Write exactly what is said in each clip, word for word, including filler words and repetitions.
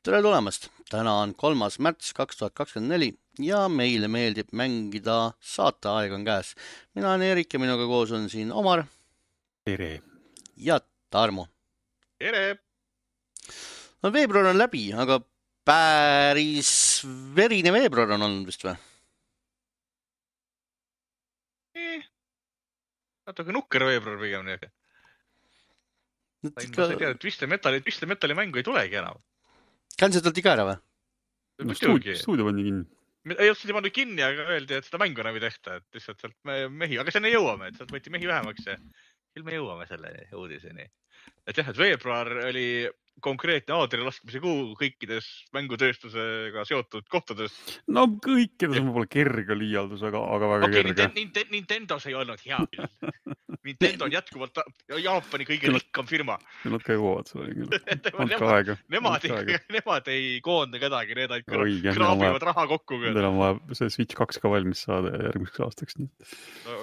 Tere tulemast! Täna on kolmas märts kaks tuhat kakskümmend neli ja meile meeldib mängida saateaeg on käes. Mina olen Erik ja minuga koos on siin Omar Tere. ja Tarmo. Tere! No veebruar on läbi, aga päris verine veebruar on olnud vist või? Eh, natuke nukker veebruar pigem nii. Sain ma sai teada, et Twisted Metali, Twisted Metali mängu ei tulegi enam. Cancelati ka ära või? No, stuudio, stuudio pandi kinni. Ei olnud seda pannud kinni, aga öeldi, et seda mängu enam ei tehta, et lihtsalt sealt mehi, aga sinna jõuame, et sealt võeti mehi vähemaks ja küll me jõuame selle uudiseni. Et jah, et veebruar oli konkreetne aadri laskmise kuu kõikides mängutööstusega seotud kohtades. No kõikides on võib-olla kerge liialdus, aga, aga väga okay, kerge. Nintendo, Nintendos ei olnud hea küll. Nintendo on jätkuvalt Jaapani kõige rikkam firma. Nad ka jõuavad selle küll. Andka aega. Nemad, aega. nemad ei koonda kedagi, need ainult Oi, kraabivad raha kokku. Neil on vaja see Switch kaks ka valmis saada järgmiseks aastaks. Nii.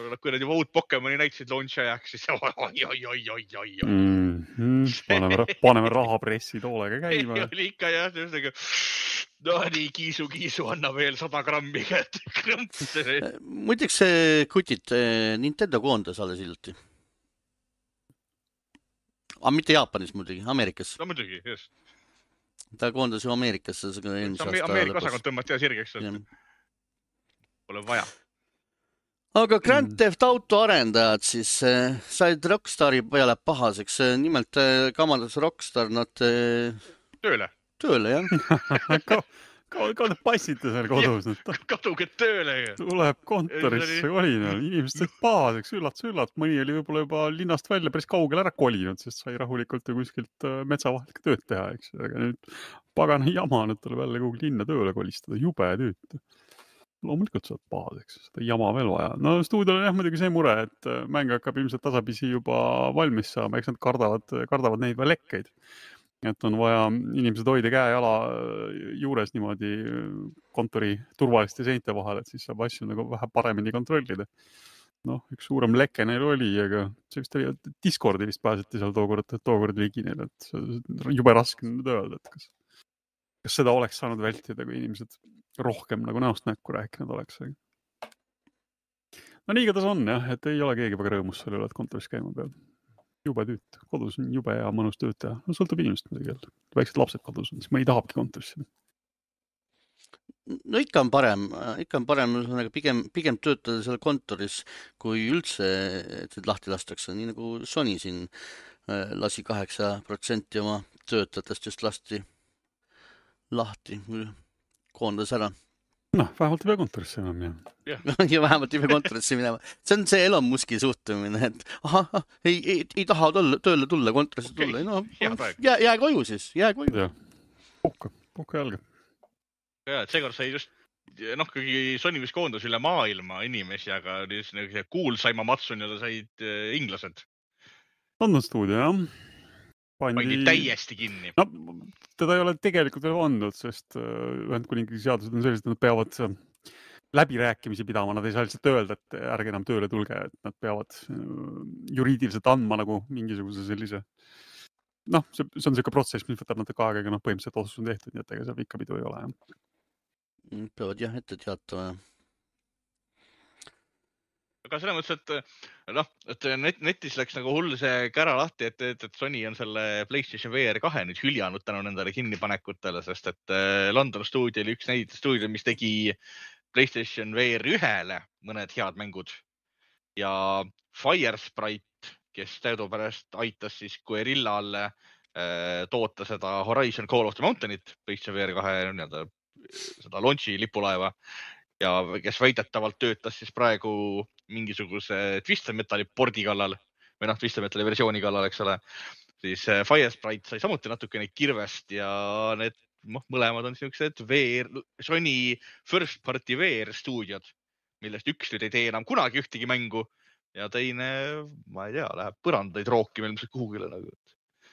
No, kui nad juba uut Pokemoni näitasid launch ajaks, siis oi, oi, oi, oi, oi, oi. Mm -hmm. paneme, paneme rahapressi toolega käima. Ei oli ikka jah, tõusega. No nii, kiisu, kiisu, anna veel sada grammi kätt. Muideks see kutid Nintendo koondas alles hiljuti. Aga mitte Jaapanis muidugi, Ameerikas. No muidugi, just. Ta koondas ju Ameerikasse. Ameerika osakond tõmmati ja sirgeks. Pole vaja. Aga Grand Theft Auto arendajad siis äh, said Rockstari peale pahaseks. Nimelt äh, kamandas Rockstar nad äh, tööle. Tööle, jah. Ka, ka, ka passite seal kodus. Kaduge tööle. Tuleb kontorisse kolinal. Inimesed said pahaseks, üllatus, üllatus. Mõni oli võib-olla juba linnast välja päris kaugel ära kolinud, sest sai rahulikult ju kuskilt metsa vahel tööd teha, eks. Aga nüüd pagana jama, nüüd tuleb jälle kuhugi linna tööle kolistada. Jube tüüt. Loomulikult saad pahaseks, seda jama veel vaja. No stuudiol on jah muidugi see mure, et mäng hakkab ilmselt tasapisi juba valmis saama, eks nad kardavad, kardavad neid lekkeid. Et on vaja inimesed hoida käe jala juures niimoodi kontori turvaliste seinte vahel, et siis saab asju nagu vähe paremini kontrollida. Noh, üks suurem leke neil oli, aga see vist oli, Discordi vist pääseti seal tookord, tookord ligi neil, et jube raske nüüd öelda, et kas, kas seda oleks saanud vältida, kui inimesed rohkem nagu näost näkku rääkinud oleks. No nii igatahes on jah, et ei ole keegi väga rõõmus selle üle, et kontoris käima peab. Jube tüüt. Kodus on jube ja mõnus tööd teha. No sõltub inimest muidugi. Väiksed lapsed kodus on, siis mõni tahabki kontorisse. No ikka on parem, ikka on parem pigem, pigem töötada seal kontoris, kui üldse et lahti lastakse. Nii nagu Sony siin lasi kaheksa protsenti oma töötajatest just lasti lahti, koondas ära. Noh, vähemalt ei pea kontorisse enam, jah. Ja vähemalt ei pea kontorisse minema. See on see Elon Muski suhtumine, et aha, ei, ei, ei taha tulla, tööle tulla, kontorisse okay. tulla. No, jää, jää koju siis, jää koju. Ja, puhka, puhka jalga. Ja, et seekord sai just, noh, kui Sony vist koondus üle maailma inimesi, aga see kuulsaima Matsun said inglased. London stuudio, jah. Pandi... Pandi täiesti kinni. No, teda ei ole tegelikult veel vandud, sest Ühendkuningriigi seadused on sellised, et nad peavad läbirääkimisi pidama. Nad ei saa lihtsalt öelda, et ärge enam tööle tulge, et nad peavad juriidiliselt andma nagu mingisuguse sellise... Noh, see, see on selline protsess, mis võtab natuke aega, aga noh, põhimõtteliselt otsus on tehtud, nii et ega seal ikka pidu ei ole. Jah. Peavad jah ette teatama. Aga selles mõttes, et, noh, et net, netis läks nagu hull see kära lahti, et, et, et Sony on selle PlayStation V R kahe nüüd hüljanud tänu nendele kinnipanekutele, sest et London stuudio oli üks neid stuudio, mis tegi PlayStation V R ühele mõned head mängud. Ja Firesprite, kes teadupärast aitas siis Guerrillal äh, toota seda Horizon Call of the Mountainit, PlayStation V R kahe nii-öelda seda launchi lipulaeva. Ja kes väidetavalt töötas siis praegu mingisuguse Twisted Metali pordi kallal või noh, Twisted Metali versiooni kallal, eks ole, siis Firesprite sai samuti natuke neid kirvest ja need noh, mõlemad on sellised V R, Sony First Party V R stuudiod, millest üks nüüd ei tee enam kunagi ühtegi mängu ja teine, ma ei tea, läheb põrandaid rookima ilmselt kuhugile nagu.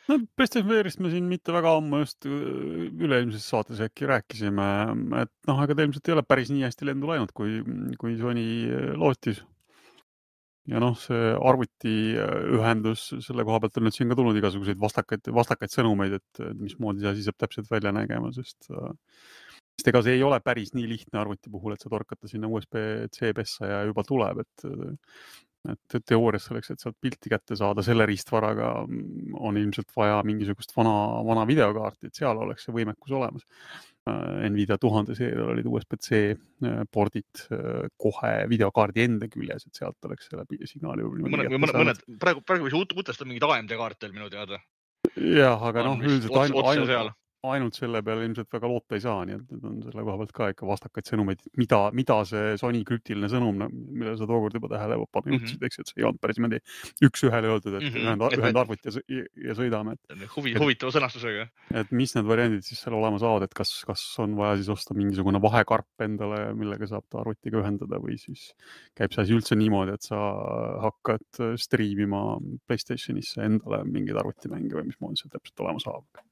No, PlayStation V R-ist me siin mitte väga ammu just üleilmses saates äkki rääkisime, et noh, aga ta ilmselt ei ole päris nii hästi lendu läinud, kui, kui Sony lootis. ja noh, see arvutiühendus, selle koha pealt on nüüd siin ka tulnud igasuguseid vastakaid, vastakaid sõnumeid, et mismoodi see asi saab täpselt välja nägema, sest, sest ega see ei ole päris nii lihtne arvuti puhul, et sa torkata sinna U S B C pessa ja juba tuleb, et et teoorias selleks, et sealt pilti kätte saada selle riistvaraga on ilmselt vaja mingisugust vana, vana videokaarti, et seal oleks see võimekus olemas. Nvidia tuhande seerial olid U S B C pordid kohe videokaardi enda küljes, et sealt oleks selle signaali mõned, mõned, mõned, praegu, praegu võis uutestada mingid A M D kaartel minu teada. Jah, aga noh, üldiselt ots, ainult, otse ainult, ainult selle peale ilmselt väga loota ei saa, nii et on selle koha pealt ka ikka vastakaid sõnumeid, mida, mida see Sony krüptiline sõnum, mille sa tookord juba tähele panna juhtisid, mm -hmm. eks, et see ei olnud päris mõni üks ühele öeldud, et mm -hmm. ühend, ühend arvut ja, ja sõidame. Et, Huvi, huvitava sõnastusega. Et mis need variandid siis seal olema saavad, et kas, kas on vaja siis osta mingisugune vahekarp endale, millega saab ta arvutiga ühendada või siis käib see asi üldse niimoodi, et sa hakkad striimima PlayStationisse endale mingeid arvutimänge või mismoodi see täpselt olema saab.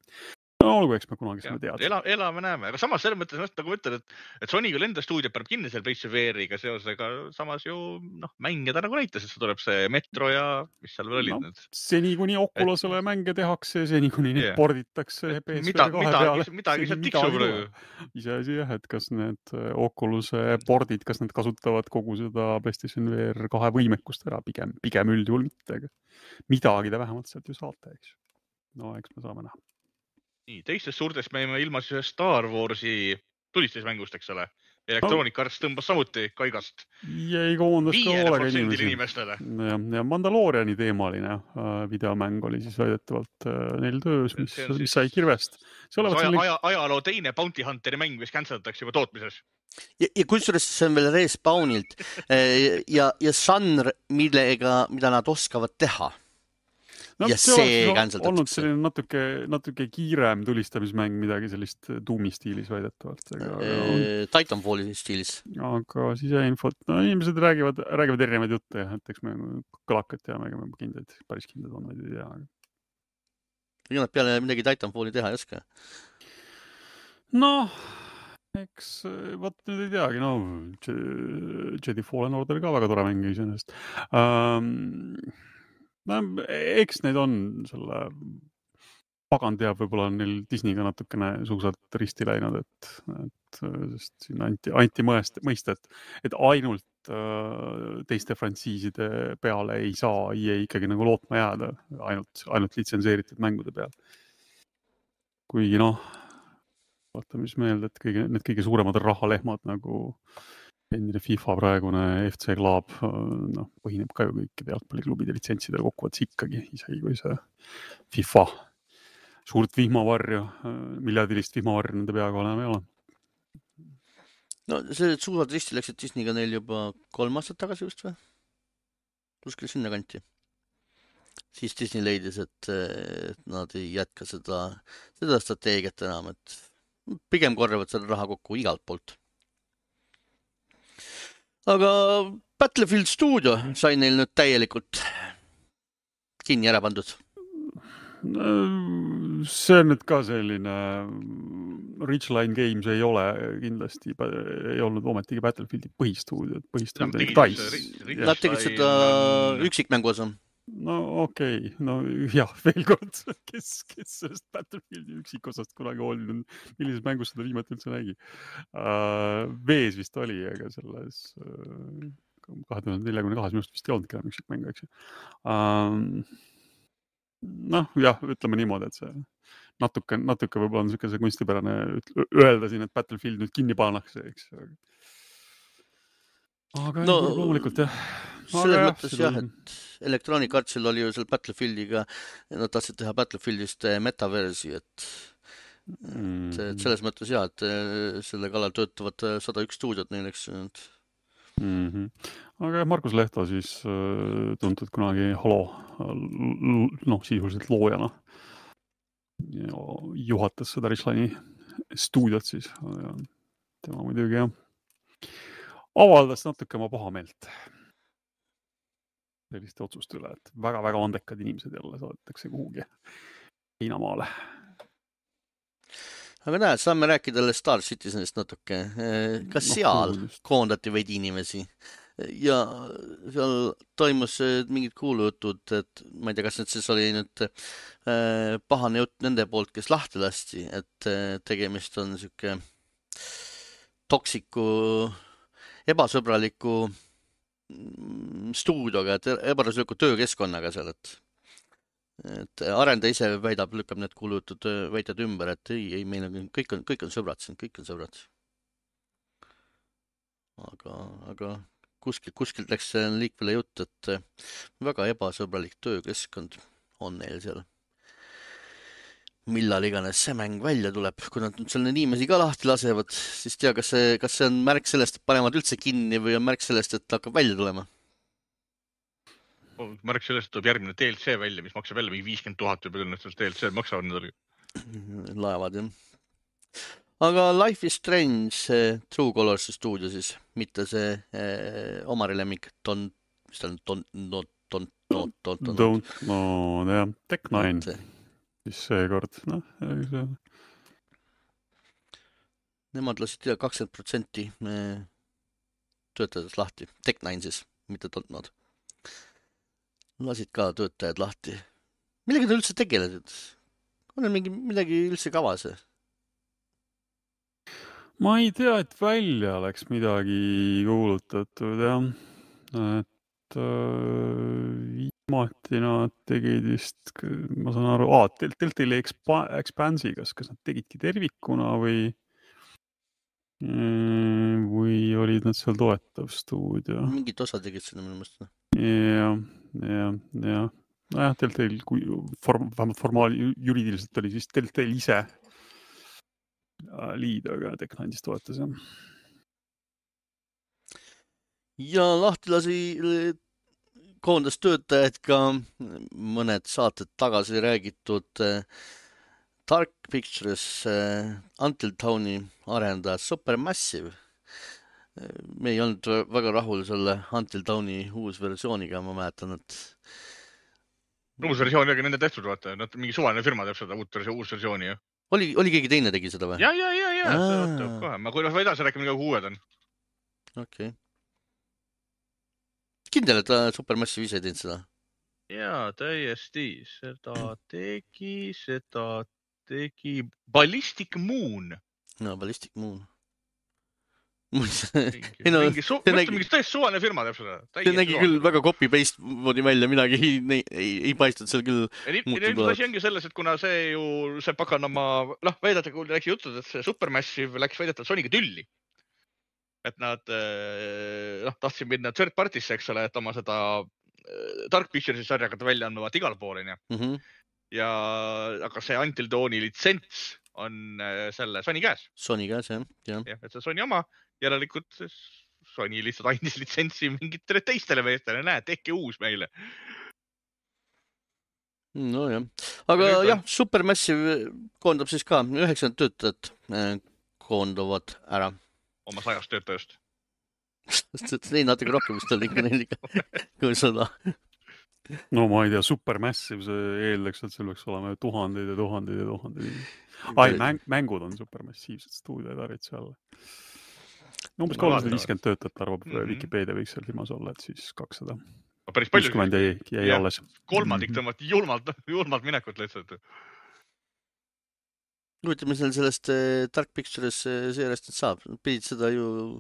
No olgu, eks me kunagi saame teada. Ela, elame näeme, aga samas selles mõttes, nagu ma ütlen, et, et Sony küll enda stuudio pärab kinni selle PlayStation V R-iga seosega, samas ju noh, mänge ta nagu näitas, et see tuleb see Metro ja mis seal veel olid no, need. Seni kuni Oculusele et... mänge tehakse, seni kuni neid yeah. porditakse P S V mida, kahe midagi, peale. Midagi sealt tiksub praegu. Iseasi jah, et kas need Oculus'e pordid, kas need kasutavad kogu seda PlayStation V R kahe võimekust ära, pigem, pigem üldjuhul mitte, aga midagi ta vähemalt sealt ju saate, eks. No eks me saame näha. Nii, teistest suurtest me jäime ilma siis Star Warsi tulistusmängust, eks ole. Electronic Arts tõmbas samuti kaigast. Jäi koondas ka olega inimesi. inimestele. Ja, ja Mandalooriani teemaline uh, videomäng oli siis väidetavalt uh, neil töös, mis, siis, mis sai kirvest. Aja, selline... aja, ajaloo teine Bounty Hunteri mäng, mis cancelatakse juba tootmises. Ja, ja kusjuures see on veel Respawnilt ja, ja žanr, millega, mida nad oskavad teha. No, ja see cancelatakse. Olnud selline natuke, natuke kiirem tulistamismäng, midagi sellist Doomi stiilis väidetavalt. Aga... Titanfalli stiilis. Aga siseinfot, no inimesed räägivad, räägivad erinevaid jutte, et eks me kõlakat teame, ega me kindlaid, päris kindlad on, vaid ei tea. Ja nad peale midagi Titanfalli teha ei oska. Noh, eks võt nüüd ei teagi, no Jedi Fallen Order ka väga tore mäng iseenesest. Um, No, eks neid on selle pagan teab, võib-olla on neil Disneyga natukene suusalt risti läinud, et, et sest siin anti, anti mõest, mõista, et, et ainult äh, teiste frantsiiside peale ei saa E A ikkagi nagu lootma jääda, ainult, ainult litsenseeritud mängude peal. Kuigi noh, vaata mis meelde, et kõige, need kõige suuremad rahalehmad nagu endine FIFA praegune F C Club, noh, põhineb ka ju kõikide jalgpalliklubide litsentsidel kokkuvõttes ikkagi, isegi kui see FIFA suurt vihmavarju, miljardilist vihmavarju nende peaga enam ei ole. No see suurad risti läksid Disneyga neil juba kolm aastat tagasi just või? Kuskil sinna kanti. Siis Disney leidis, et nad ei jätka seda, seda strateegiat enam, et pigem korjavad selle raha kokku igalt poolt. Aga Battlefield Studio sai neil nüüd täielikult kinni ära pandud. See on nüüd ka selline Ridgeline Games ei ole kindlasti, ei olnud ometigi Battlefieldi põhistuudio, põhistuudio oli Dice. Nad tegid seda üksikmängu osa. No okei, okay. No jah, veel kord, kes, kes sellest Battlefieldi üksikosast kunagi olnud, millises mängus seda viimati üldse nägi. Uh, Vees vist oli, aga selles uh, kahe tuhande neljakümne kahes minust vist ei olnud enam üksikmängu, eks ju. Uh, noh, jah, ütleme niimoodi, et see natuke, natuke võib-olla on niisugune see kunstipärane öelda siin, et Battlefield nüüd kinni pannakse, eks ju. Aga no, ei, loomulikult jah. Selles aga mõttes jah, et Electronic Artsil oli ju seal Battlefieldiga, nad tahtsid teha Battlefieldist metaversi, et, mm. et, et selles mõttes jah, et selle kallal töötavad sada üks stuudiot neil, eks. Mm-hmm. Aga Markus Lehto siis tuntud kunagi Halo, noh, sisuliselt loojana. Juhatas seda Richline'i stuudiot siis. Tema muidugi jah. Avaldas natuke oma pahameelt selliste otsuste üle, et väga-väga andekad inimesed jälle saadetakse kuhugi Hiinamaale. Aga näed, saame rääkida Star Citizenist natuke. Kas no, seal just. Koondati veidi inimesi? ja seal toimus mingid kuulujutud, et ma ei tea, kas nüüd siis oli nüüd äh, pahane jutt nende poolt, kes lahti lasti, et äh, tegemist on siuke toksiku, ebasõbraliku stuudioga, et ebasõbraliku töökeskkonnaga seal, et et arendaja ise väidab, lükkab need kuulujutud väited ümber, et ei, ei, meil on kõik on, kõik on sõbrad siin, kõik on sõbrad. Aga, aga kuskil, kuskil läks liikvele jutt, et väga ebasõbralik töökeskkond on neil seal. Millal iganes see mäng välja tuleb, kui nad nüüd selle inimesi ka lahti lasevad, siis tea, kas see, kas see on märk sellest, et panevad üldse kinni või on märk sellest, et hakkab välja tulema? Märk sellest tuleb järgmine D L C välja, mis maksab jälle mingi viiskümmend tuhat või palju D L C maksavad need oli. Laevad, jah. Aga Life is Strange True Colors stuudio siis, mitte see eh, omari lemmik Don, mis ta on, Don, Don, Don, Don, Don, Don. Don't, no jah, Tech Nine, siis seekord, noh. Nemad lasid kakskümmend protsenti töötajad lahti, Tech Nine siis, mitte Don't Not. Lasid ka töötajad lahti. Millega ta üldse tegelesid? On mingi, midagi üldse kavas? Ma ei tea, et välja oleks midagi kuulutatud, jah. Et äh, viimati nad tegid vist, ma saan aru, aa, Telltale Expanse'i, kas, kas nad tegidki tervikuna või või olid nad seal toetav stuudio? Mingid osa tegid sinna minu mõista. Jah, jah, jah. Nojah, Telltale, kui form, vähemalt formaali juriidiliselt oli siis Telltale ise liid, aga Tech Nine'is toetas, jah. Ja lahti lasi koondas töötajad ka mõned saated tagasi räägitud Dark Pictures Until Dawni arendajad Supermassive. Me ei olnud väga rahul selle Until Dawni uus versiooniga, ma mäletan, et uus versioon oli nende tehtud, vaata, nad mingi suvaline firma teeb seda uut uus versiooni, jah. Oli, oli keegi teine tegi seda või? Ja, ja, ja, ja, see kohe. Ma kui edasi rääkima, mida uued on. Okei. Okay. Kindel, et Supermassive ise teinud seda? Jaa, täiesti. Seda tegi, seda tegi Ballistic Moon. No, Ballistic Moon. mingi, no, mingi, su nägi... mingi tõesti suvaline firma teeb seda. See nägi küll väga copy-paste moodi välja, midagi ei, ei, ei, ei paistnud seal küll. Ilmselt asi ongi selles, et kuna see ju, see pakanama, noh, väidate, kui läks jutud, et see Supermassive läks väidetavalt Sonyga tülli. Et nad noh, tahtsid minna third party'sse, eks ole, et oma seda Dark Pictures'i sarja hakata välja andma igal pool, ja. Mm -hmm. ja aga see Until Dawni litsents on selle Sony käes. Sony käes, jah. jah, et see Sony oma, järelikult Sony lihtsalt andis litsentsi mingitele teistele meestele, näe, tehke uus meile. No jah, aga ja jah, Supermassive koondab siis ka üheksakümmend töötajat koonduvad ära. Oma sajast töötajast. Ei, natuke rohkem vist oli ikka neil ikka, kui seda. No ma ei tea, Supermassive, see eeldaks, et seal võiks olema tuhandeid ja tuhandeid ja tuhandeid. Ai, mäng, mängud on supermassiivsed stuudioid arvitsi alla. No, umbes kolmsada viiskümmend töötajat arvab, mm -hmm. Wikipedia võiks seal firmas olla, et siis kakssada. Päris palju. kuuskümmend jäi, jäi ja, alles. Kolmandik tõmmati julmalt, julmalt minekut lihtsalt. Kuulutame seal sellest Dark Pictures seerest, et saab. Pidid seda ju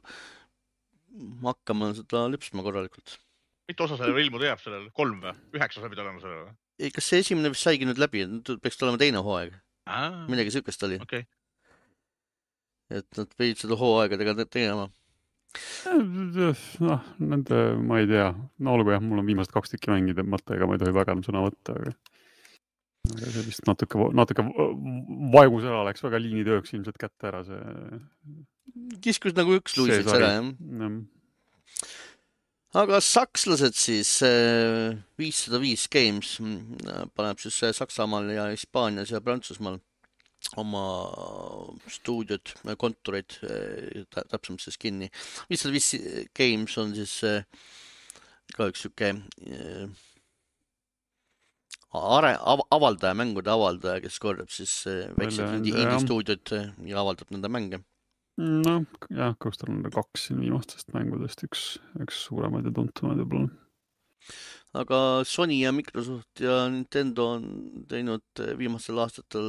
hakkama seda lüpsma korralikult. Mitu osa sellele ilmuda jääb sellele? Kolm või? Üheksa saab olema sellele? Ei, kas see esimene vist saigi nüüd läbi? Peaks olema teine hooaeg. Aa, Midagi sükest oli. Okay. Et nad pidid seda hooaegadega tegema. Noh, nende, ma ei tea. No olgu jah, mul on viimased kaks tükki mängida mõtte, ega ma ei tohi väga sõna võtta, aga aga see vist natuke, natuke vaegusela läks väga liinitööks ilmselt kätte ära see. Kiskus nagu üks luiseks ära, jah. Aga sakslased siis viissada viis Games paneb siis Saksamaal ja Hispaanias ja Prantsusmaal oma stuudiod, kontoreid täpsemalt siis kinni. viissada viis Games on siis ka üks süke Are, avaldaja, mängude avaldaja, kes korjab siis väiksed indie stuudiod ja avaldab nende mänge. No jah, Ghost Runner kaks siin viimastest mängudest üks, üks suuremaid ja tuntumaid võib-olla. Aga Sony ja Microsoft ja Nintendo on teinud viimastel aastatel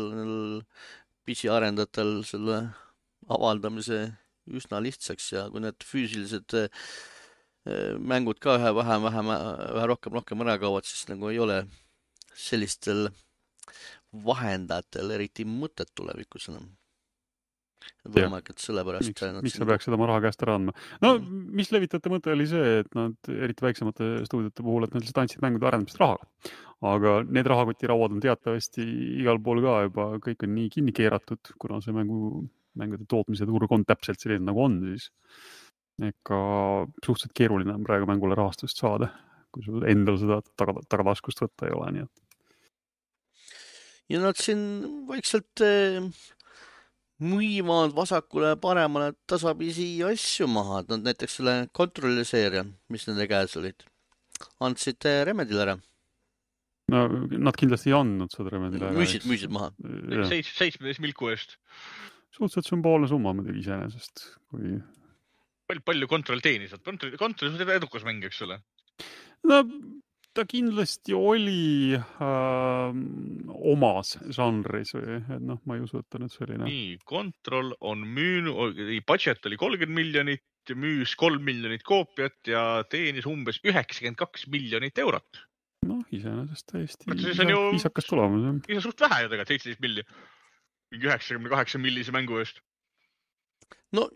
P C arendajatel selle avaldamise üsna lihtsaks ja kui need füüsilised mängud ka ühe vähem, vähem, vähe rohkem, rohkem ära kaovad, siis nagu ei ole sellistel vahendajatel eriti mõtet tulevikus enam. Võimalik, et sellepärast... Miks, miks sa peaksid oma raha käest ära andma? No, mis levitajate mõte oli see, et nad eriti väiksemate stuudiote puhul, et nad lihtsalt andsid mängude arendamist rahaga. Aga need rahakotirauad on teatavasti igal pool ka juba, kõik on nii kinni keeratud, kuna see mängu, mängude tootmise turg on täpselt selline nagu on, siis ega suhteliselt keeruline on praegu mängule rahastust saada, kui sul endal seda taga, tagataskust võtta ei ole. Nii et. Ja nad siin vaikselt eh, müüvad vasakule paremale tasapisi asju maha. Nad näiteks selle Controlli seeria, mis nende käes olid, andsid Remedile ära. No, nad kindlasti ei andnud seda Remedile ära. Müüsid, müüsid maha. seitsmeteist milku eest. Suhteliselt sümboolne summa muidugi iseenesest, kui Palju, palju kontroll teenis. Kontroll, kontroll on edukas mäng, eks ole? No, ta kindlasti oli äh, omas žanris või, et noh, ma ei usu, et ta nüüd selline. Nii, kontroll on müünud, budget oli kolmkümmend miljonit, müüs kolm miljonit koopiat ja teenis umbes üheksakümmend kaks miljonit eurot. Noh, iseenesest täiesti ju... viisakas tulemus. Isa suht vähe ju tegelikult, seitseteist milli. Mingi üheksakümmend kaheksa millise mängu eest. No,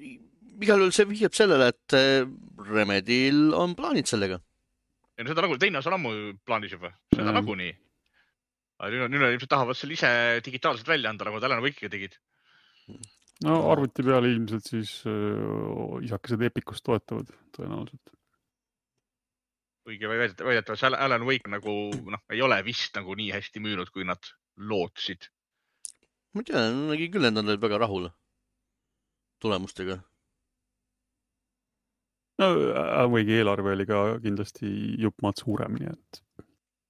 igal juhul see vihjab sellele, et Remedil on plaanid sellega. Ja no seda nagu teine osa on ammu plaanis juba. Seda nagu nii. Aga nüüd on ilmselt tahavad selle ise digitaalselt välja anda, nagu Alan Wake'iga tegid. No arvuti peale ilmselt siis uh, isakesed Epicust toetavad tõenäoliselt. Õige väidetavas Alan Wake nagu noh, ei ole vist nagu nii hästi müünud, kui nad lootsid. Ma tean, nägi küll, et nad olid väga rahul tulemustega. No, Alan Wake'i eelarve oli ka kindlasti juppmaad suurem, nii et...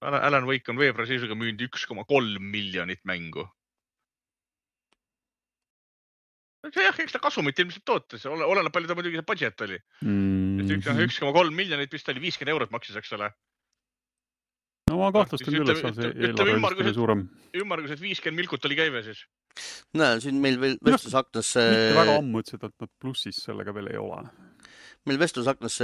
Alan Wake on veebruari seisuga müünud üks koma kolm miljonit mängu. See jah, eks ta kasumit ilmselt tootes. Oleneb palju ta muidugi see budget oli. Mm-hmm. üks koma kolm miljonit vist oli viiskümmend eurot maksis, eks ole. No ma kahtlustan küll, et see eelarve oli suurem. Ümmargused viiskümmend milkut oli käive siis. Näe, siin meil veel vestlusaknas... Mitte väga ammu ütlesid, et nad plussis sellega veel ei ole. Meil vestlusaknas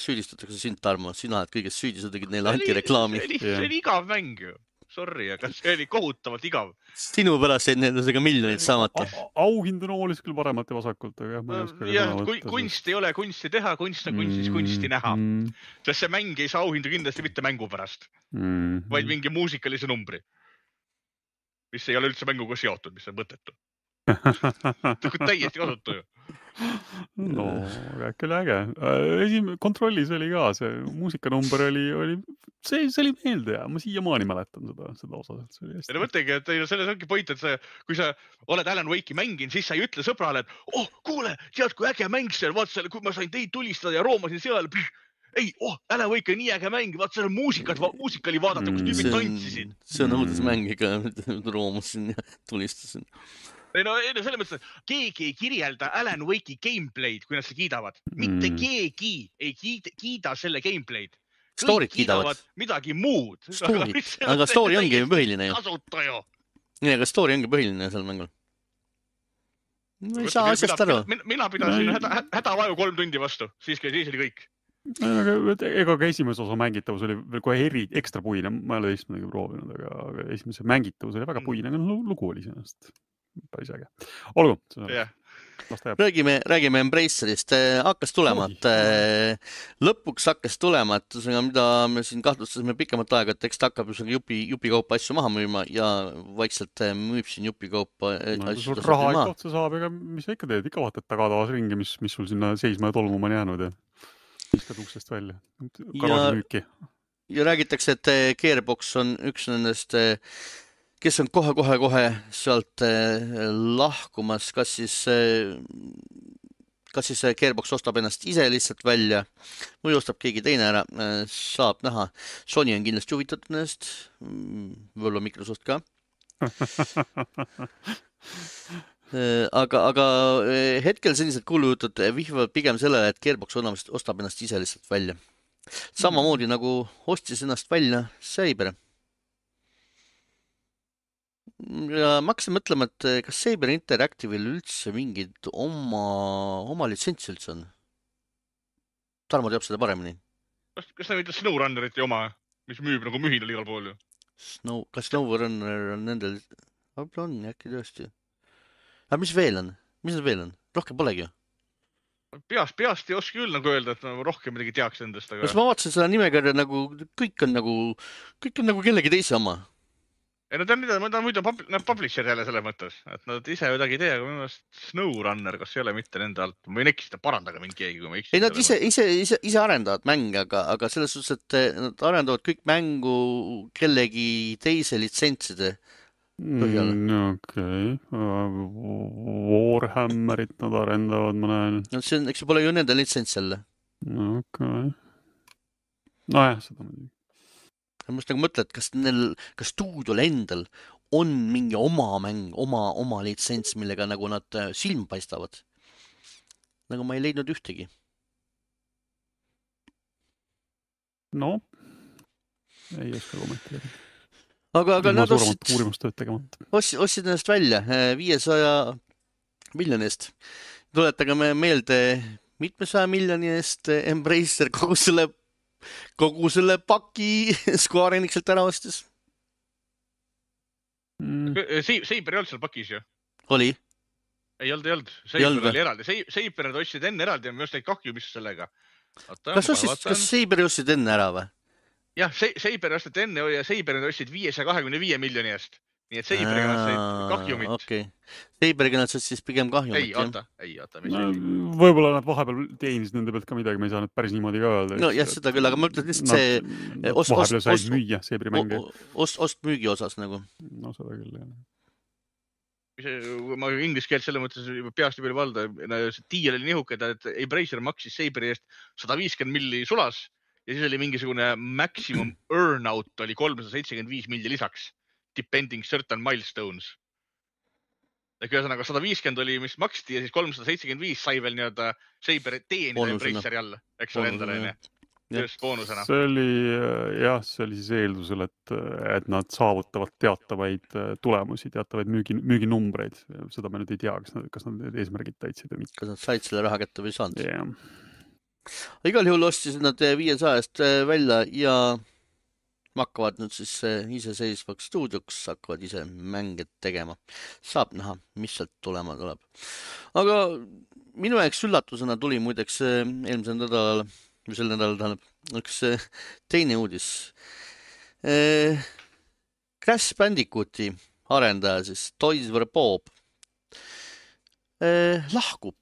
süüdistatakse sind, Tarmo. Sina oled kõigest süüdi, sa tegid neile antireklaami. See oli igav mäng ju. Sorry, aga see oli kohutavalt igav. Sinu pärast jäid nendega miljonid saamata. Auhind on oolis küll paremalt ja vasakult, aga ma ei oska ja, kui, kunst ei ole kunsti teha, kunst on kunstis kunsti näha. Mm. Sest see mäng ei saa auhindu kindlasti mitte mängu pärast, mm. vaid mingi muusikalise numbri, mis ei ole üldse mänguga seotud, mis on mõttetu. Täiesti kasutu ju. No, küll äge. Esim- kontrollis oli ka, see muusikanumber oli, oli see, see oli meelde ja ma siiamaani mäletan seda, seda osa. Ja no mõtlegi, et selles ongi point, et see, kui sa oled Alan Wake'i mängin, siis sa ei ütle sõbrale, et oh, kuule, tead, kui äge mäng seal, vaat selle, kui ma sain teid tulistada ja roomasin seal, ei, oh, Alan Wake on nii äge mäng, vaat selle muusikat, muusikali vaadata, kus tüübid tantsisid. See on õudes mäng, ega roomasin ja tulistasin. Ei no, ei no selles mõttes, et keegi ei kirjelda Alan Wake'i gameplay'd, kui nad seda kiidavad. Mitte keegi ei kiida, kiida selle gameplay'd. Story'd kiidavad. Midagi muud. Story. Aga story ongi põhiline ju. Kasutaja. Nii, aga story ongi põhiline seal mängul. No ei saa asjast aru. Mina, mina pidasin häda, hädavaju kolm tundi vastu. Siis, siis oli kõik. Ega ka esimese osa mängitavus oli veel kohe eri, ekstra puine. Ma ei ole esimene proovinud, aga esimese mängitavus oli väga puine. Aga lugu oli sellest. Päris äge. Olgu. Yeah. Räägime, räägime Embracerist. Hakkas tulema, et lõpuks hakkas tulema, et mida me siin kahtlustasime pikemat aega, et eks ta hakkab jupi, jupikaupa asju maha müüma ja vaikselt müüb siin jupikaupa no, asju. Sul raha ikka otsa saab, ega mis sa ikka teed, ikka vaatad tagatavas ringi, mis, mis sul sinna seisma ja tolmuma on jäänud ja viskad uksest välja. Garaasimüüki. Ja, ja räägitakse, et Gearbox on üks nendest kes on kohe-kohe-kohe sealt lahkumas, kas siis, kas siis Gearbox ostab ennast ise lihtsalt välja või ostab keegi teine ära, saab näha. Sony on kindlasti huvitatud nendest, võib-olla Microsoft ka. aga, aga hetkel sellised kuulujutud vihvavad pigem sellele, et Gearbox ostab ennast ise lihtsalt välja. Samamoodi nagu ostis ennast välja Saber. Ja ma hakkasin mõtlema, et kas Saber Interactive'il üldse mingid oma, oma litsentsi üldse on? Tarmo teab seda paremini. Kas, kas ta mitte SnowRunneriti oma, mis müüb nagu mühinal igal pool ju? Snow, kas SnowRunner on nendel? Võib-olla on, äkki tõesti. Aga mis veel on? Mis need veel on? Rohkem polegi ju. Peast, peast ei oska küll nagu öelda, et ma rohkem midagi teaks endast. Aga... Kas ma vaatasin seda nimekirja nagu, kõik on nagu, kõik on nagu kellegi teise oma. Ei, no ta on, ta on muidu publisher jälle selles mõttes, et nad ise midagi ei tee, aga minu meelest SnowRunner, kas ei ole mitte nende alt? Ma võin eksida, parandaga mind keegi, kui ma eksin. Ei, nad ise, ise, ise, ise arendavad mänge, aga, aga selles suhtes, et nad arendavad kõik mängu kellegi teise litsentside põhjal. Mm, okei. Okay. Warhammerit nad arendavad, ma näen. No see on, eks ju pole ju nende litsents jälle. Okei. Okay. No jah, seda muidugi. Ma just nagu mõtlen, et kas neil, kas stuudiol endal on mingi oma mäng, oma, oma litsents, millega nagu nad silm paistavad. Nagu ma ei leidnud ühtegi. No, ei oska kommenteerida. Aga, aga nad ostsid, uurimustööd tegemata. ostsid, ostsid ennast välja viiesaja miljonist. Tuletage me meelde mitmesaja miljoni eest Embracer kogu selle kogu selle paki Square Enixelt ära ostis. Mm. Saber ei olnud seal pakis ju? Oli? Ei olnud, ei olnud. Saber oli eraldi. Saber ostsid enne eraldi ja me just neid kahju, mis sellega. Oota, kas ostsid, kas Saber ostsid enne ära või? Jah, Saber ostsid enne ja Saber ostsid viiesaja kahekümne viie miljoni eest. Nii et Saberiga nad said kahjumit. Okei. Saberiga nad said siis pigem kahjumit. Ei, oota, ei, oota. No, võib-olla nad vahepeal teenisid nende pealt ka midagi, me ei saa nüüd päris niimoodi ka öelda. No jah, seda küll, aga ma ütlen lihtsalt see... Nad ost, vahepeal said ost, müüa Saberi mänge. Ost, ost müügi osas nagu. No seda küll, jah. Ma inglise keelt selle mõttes peast juba valda. Tiiel oli nihukad, et Embracer maksis Saberi eest sada viiskümmend milli sulas ja siis oli mingisugune maximum earnout oli kolmsada seitsekümmend viis milli lisaks. Depending certain milestones. Ehk ühesõnaga sada viiskümmend oli, mis maksti ja siis kolmsada seitsekümmend viis sai veel nii-öelda Saber teenida Embraceri all, eks ole endale. Just boonusena. See oli, jah, see oli siis eeldusel, et, et nad saavutavad teatavaid tulemusi, teatavaid müügi, müüginumbreid. Seda me nüüd ei tea, kas nad, kas nad need eesmärgid täitsid või mitte. Kas nad said selle raha kätte või saanud? Yeah. Igal juhul ostisid nad viiesajast välja ja hakkavad nüüd siis iseseisvaks stuudioks, hakkavad ise mänge tegema. Saab näha, mis sealt tulema tuleb. Aga minu jaoks üllatusena tuli muideks eelmisel nädalal, või sel nädalal tähendab, üks teine uudis. Crash Bandicooti arendaja, siis Toys for Bob, lahkub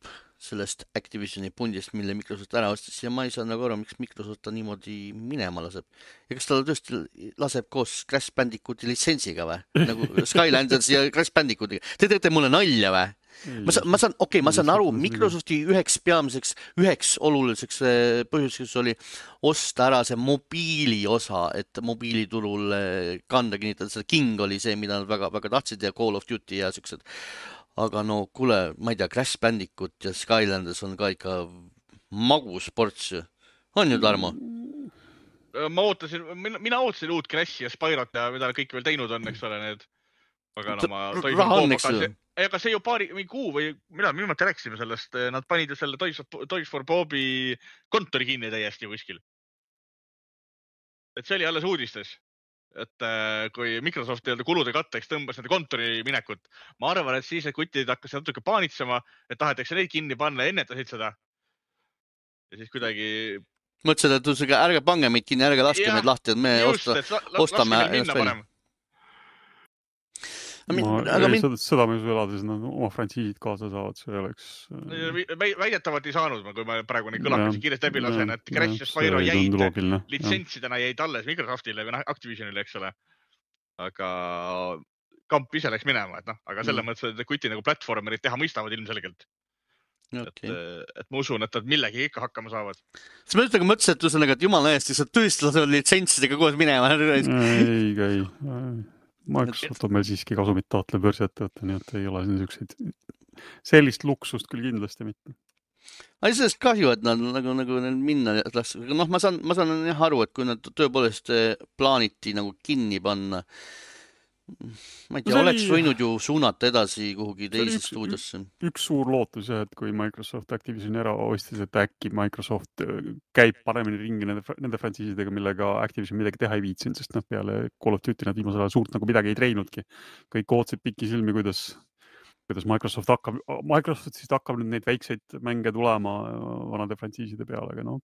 sellest Activisioni pundist, mille Microsoft ära ostis ja ma ei saa nagu aru, miks Microsoft ta niimoodi minema laseb. Ja kas ta tõesti laseb koos Crash Bandicooti litsentsiga või? Nagu Skylanders ja Crash Bandicooti. Te teete mulle nalja või? Ma saan, ma saan, okei, okay, ma saan aru, Microsofti üheks peamiseks, üheks oluliseks põhjuseks oli osta ära see mobiili osa, et mobiiliturul kanda kinnitada. See King oli see, mida nad väga, väga tahtsid ja Call of Duty ja siuksed. Aga no kuule, ma ei tea, Crash Bandicoot ja Skylanders on ka ikka magus ports. On ju, Tarmo? Ma ootasin, mina, mina ootasin uut Crashi ja Spyrat ja mida kõik veel teinud on, eks ole, need. Aga no ma... Raha on, eks ju. Aga see ju paari või kuu või mida, minu mõtte rääksime sellest, nad panid ju selle Toys, Toys for Bobi kontori kinni täiesti kuskil. Et see oli alles uudistes. Et kui Microsoft kulude katteks tõmbas nende kontori minekut, ma arvan, et siis need kutid hakkasid natuke paanitsema, et tahetakse neid kinni panna ja ennetasid seda. Ja siis kuidagi... Mõtlesid, et tõusega, ärge pange meid kinni, ärge laske ja, meid lahti, et me just, osta, et la, ostame ennast välja. Ma, ei, mind... seda, seda me elades nad oma frantsiisid kaasa saavad, see oleks... Väidetavalt ei saanud, kui ma praegu neid kõlakasi kiiresti läbi lasen, et Crash ja Spyro jäid litsentsidena jäid alles Microsoftile või Activisionile, eks ole. Aga kamp ise läks minema, et noh, aga selle mm. mõttes, et kuti nagu platvormerid teha mõistavad ilmselgelt. Okay. Et, et ma usun, et nad millegi ikka hakkama saavad. Siis ma ütlen, mõtlesin, et, üsõnaga, et jumala eest, sa tõesti lased litsentsidega koos minema. Ei, ei, Microsoft on meil siiski kasumit taotlev börsiettevõte, nii et ei ole niisuguseid, sellist luksust küll kindlasti mitte. Aga sellest kahju, et nad nagu, nagu neil minna las... noh, ma saan, ma saan jah aru, et kui nad tõepoolest plaaniti nagu kinni panna, ma ei tea, no oleks oli... võinud ju suunata edasi kuhugi teise üks, stuudiosse. Üks suur lootus jah, et kui Microsoft Activisioni ära ostis, et äkki Microsoft käib paremini ringi nende, nende frantsiisidega, millega Activision midagi teha ei viitsin, sest noh, peale Call of Duty nad viimasel ajal suurt nagu midagi ei treinudki. Kõik ootsid pikki silmi, kuidas, kuidas Microsoft hakkab, Microsoftist hakkab nüüd neid väikseid mänge tulema vanade frantsiiside peale, aga noh.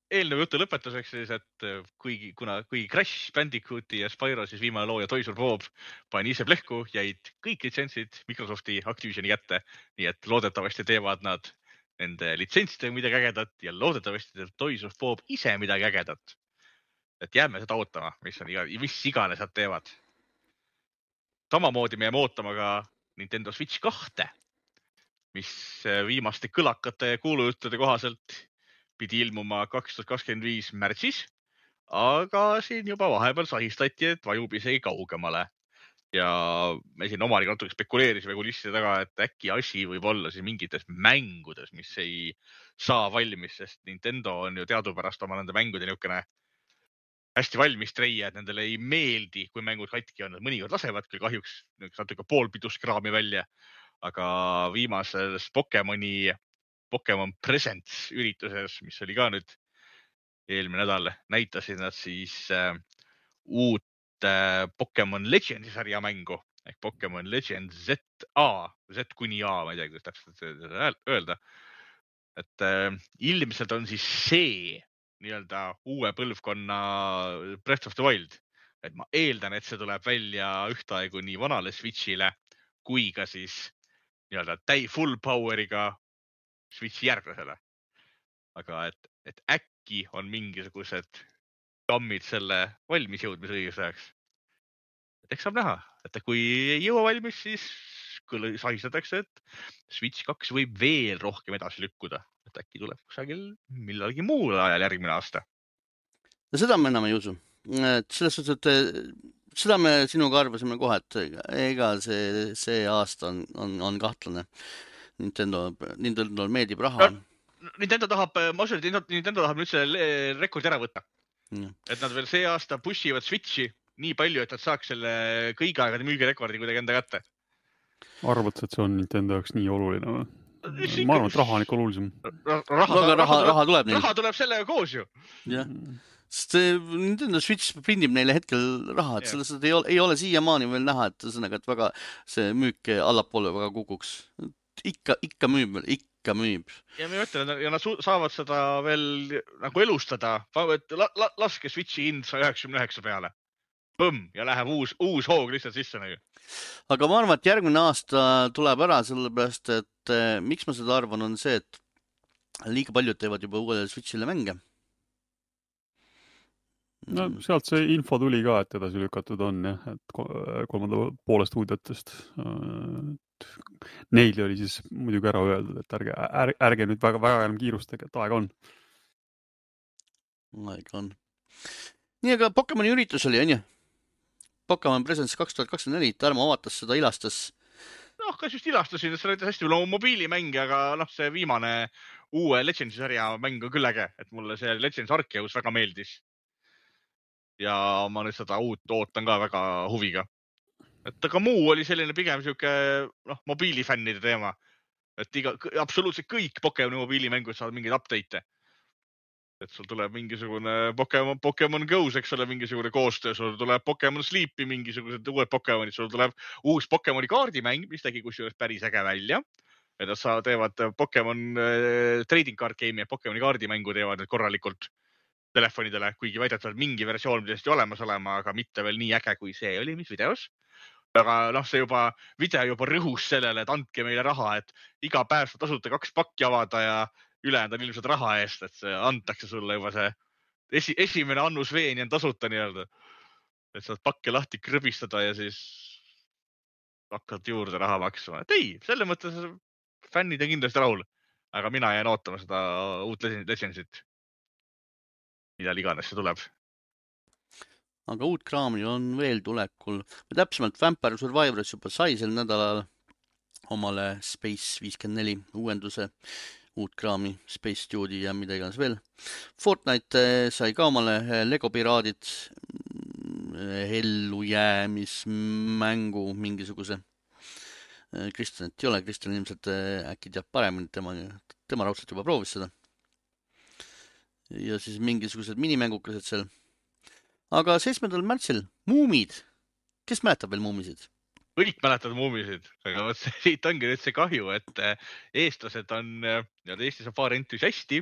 Eelnev jutu lõpetuseks siis, et kuigi, kuna, kuigi Crash Bandicooti ja Spyro siis viimane looja Toys for Bob pani ise plehku, jäid kõik litsentsid Microsofti Activisioni kätte, nii et loodetavasti teevad nad nende litsentsidega midagi ägedat ja loodetavasti teeb Toys for Bob ise midagi ägedat. Et jääme seda ootama, mis, on iga, mis iganes nad teevad. Samamoodi me jääme ootama ka Nintendo Switch kahte, mis viimaste kõlakate ja kuulujuttude kohaselt pidi ilmuma kaks tuhat kakskümmend viis märtsis, aga siin juba vahepeal sahistati, et vajub isegi kaugemale. Ja me siin omaniga natuke spekuleerisime kulisside taga, et äkki asi võib olla siis mingites mängudes, mis ei saa valmis, sest Nintendo on ju teadupärast oma nende mängude niisugune hästi valmis treia, et nendele ei meeldi, kui mängud katki on. Mõnikord lasevad küll kahjuks natuke poolpiduskraami välja, aga viimases Pokemoni Pokemon Presents ürituses, mis oli ka nüüd eelmine nädal, näitasid nad siis äh, uut äh, Pokemon Legendi sarja mängu ehk Pokemon Legend Z A, Z kuni A, ma ei tea, kuidas täpselt öelda. Et äh, ilmselt on siis see nii-öelda uue põlvkonna Breath of the Wild. Et ma eeldan, et see tuleb välja ühtaegu nii vanale Switchile kui ka siis nii-öelda täi full power'iga Switchi järglasele. Aga et, et äkki on mingisugused kammid selle valmis jõudmise õigeks ajaks. Et eks saab näha, et kui ei jõua valmis, siis küll sahistatakse, et Switch kaks võib veel rohkem edasi lükkuda. Et äkki tuleb kusagil millalgi muul ajal järgmine aasta. Ja seda me enam ei usu. Et selles suhtes, et seda me sinuga arvasime kohe, et ega see, see aasta on, on, on kahtlane. Nintendo, Nintendo meeldib raha. No, Nintendo tahab, ma usun, et Nintendo tahab nüüd selle rekordi ära võtta. Ja. Et nad veel see aasta pushivad Switchi nii palju, et nad saaks selle kõigi aegade müügirekordi kuidagi enda kätte. Arvad, et see on Nintendo jaoks nii oluline või? Ma arvan, et raha on ikka olulisem. Raha, raha, raha, raha, raha tuleb neil. Raha tuleb sellega koos ju. Jah. Sest Nintendo Switch prindib neile hetkel raha, et yeah. Selles ei ole, ei ole siiamaani veel näha, et, sõnaga, et väga see müük allapoole väga kukuks. Ikka, ikka müüb, ikka müüb. Ja ma ütlen, ja nad saavad seda veel nagu elustada. La, la, laske Switchi hind sada üheksakümmend üheksa peale. Põmm, ja läheb uus, uus hoog lihtsalt sisse. Nagu. Aga ma arvan, et järgmine aasta tuleb ära, sellepärast, et eh, miks ma seda arvan, on see, et liiga paljud teevad juba uuele Switchile mänge. No sealt see info tuli ka, et edasi lükatud on, jah, et kolmanda poole stuudiotest. Neil oli siis muidugi ära öeldud, et ärge, ärge, ärge nüüd väga, väga enam kiirustage, et aeg on. Aeg on. Nii, aga Pokemoni üritus oli, on ju? Pokemon Presents kaks tuhat kakskümmend neli, Tarmo avatas seda, ilastas. Noh, kas just ilastasin, et see oli hästi no, mobiilimänge, aga noh, see viimane uue Legends sarja mäng on küll äge, et mulle see Legends Arceus väga meeldis. Ja ma nüüd seda uut ootan ka väga huviga. Et aga muu oli selline pigem siuke, noh, mobiilifännide teema. Et iga, absoluutselt kõik Pokemoni mobiilimängud saavad mingeid update'e. Et sul tuleb mingisugune Pokemon, Pokemon Go's, eks ole, mingisugune koostöö, sul tuleb Pokemon Sleep'i, mingisugused uued Pokemonid, sul tuleb uus Pokemoni kaardimäng, mis tegi kusjuures päris äge välja. Et nad saa, teevad Pokemon äh, trading card game'i ja Pokemoni kaardimängu teevad need korralikult telefonidele, kuigi väidetavalt mingi versioon pidesti olemas olema, aga mitte veel nii äge, kui see oli, mis videos. Aga noh, see juba, video juba rõhus sellele, et andke meile raha, et iga päev saab tasuta kaks pakki avada ja ülejäänud on ilmselt raha eest, et see antakse sulle juba see esi, esimene annus veeni on tasuta nii-öelda. Et saad pakke lahti krõbistada ja siis hakkad juurde raha maksma. Et ei, selle mõttes fännid on kindlasti rahul, aga mina jään ootama seda uut Legendsit. Mida iganes see tuleb. aga uut kraami on veel tulekul. Täpsemalt Vampire Survivors juba sai sel nädalal omale Space viiskümmend neli uuenduse, uut kraami, Space Studio ja mida iganes veel. Fortnite sai ka omale Lego Piraadid ellujäämismängu mingisuguse. Kristjanit ei ole, Kristjan ilmselt äkki teab paremini, tema, tema raudselt juba proovis seda. Ja siis mingisugused minimängukesed seal. Aga seitsmendal märtsil Muumid. Kes mäletab veel Muumisid? Kõik mäletavad Muumisid, aga siit ongi nüüd see kahju, et eestlased on, ja Eestis on paar entusiasti,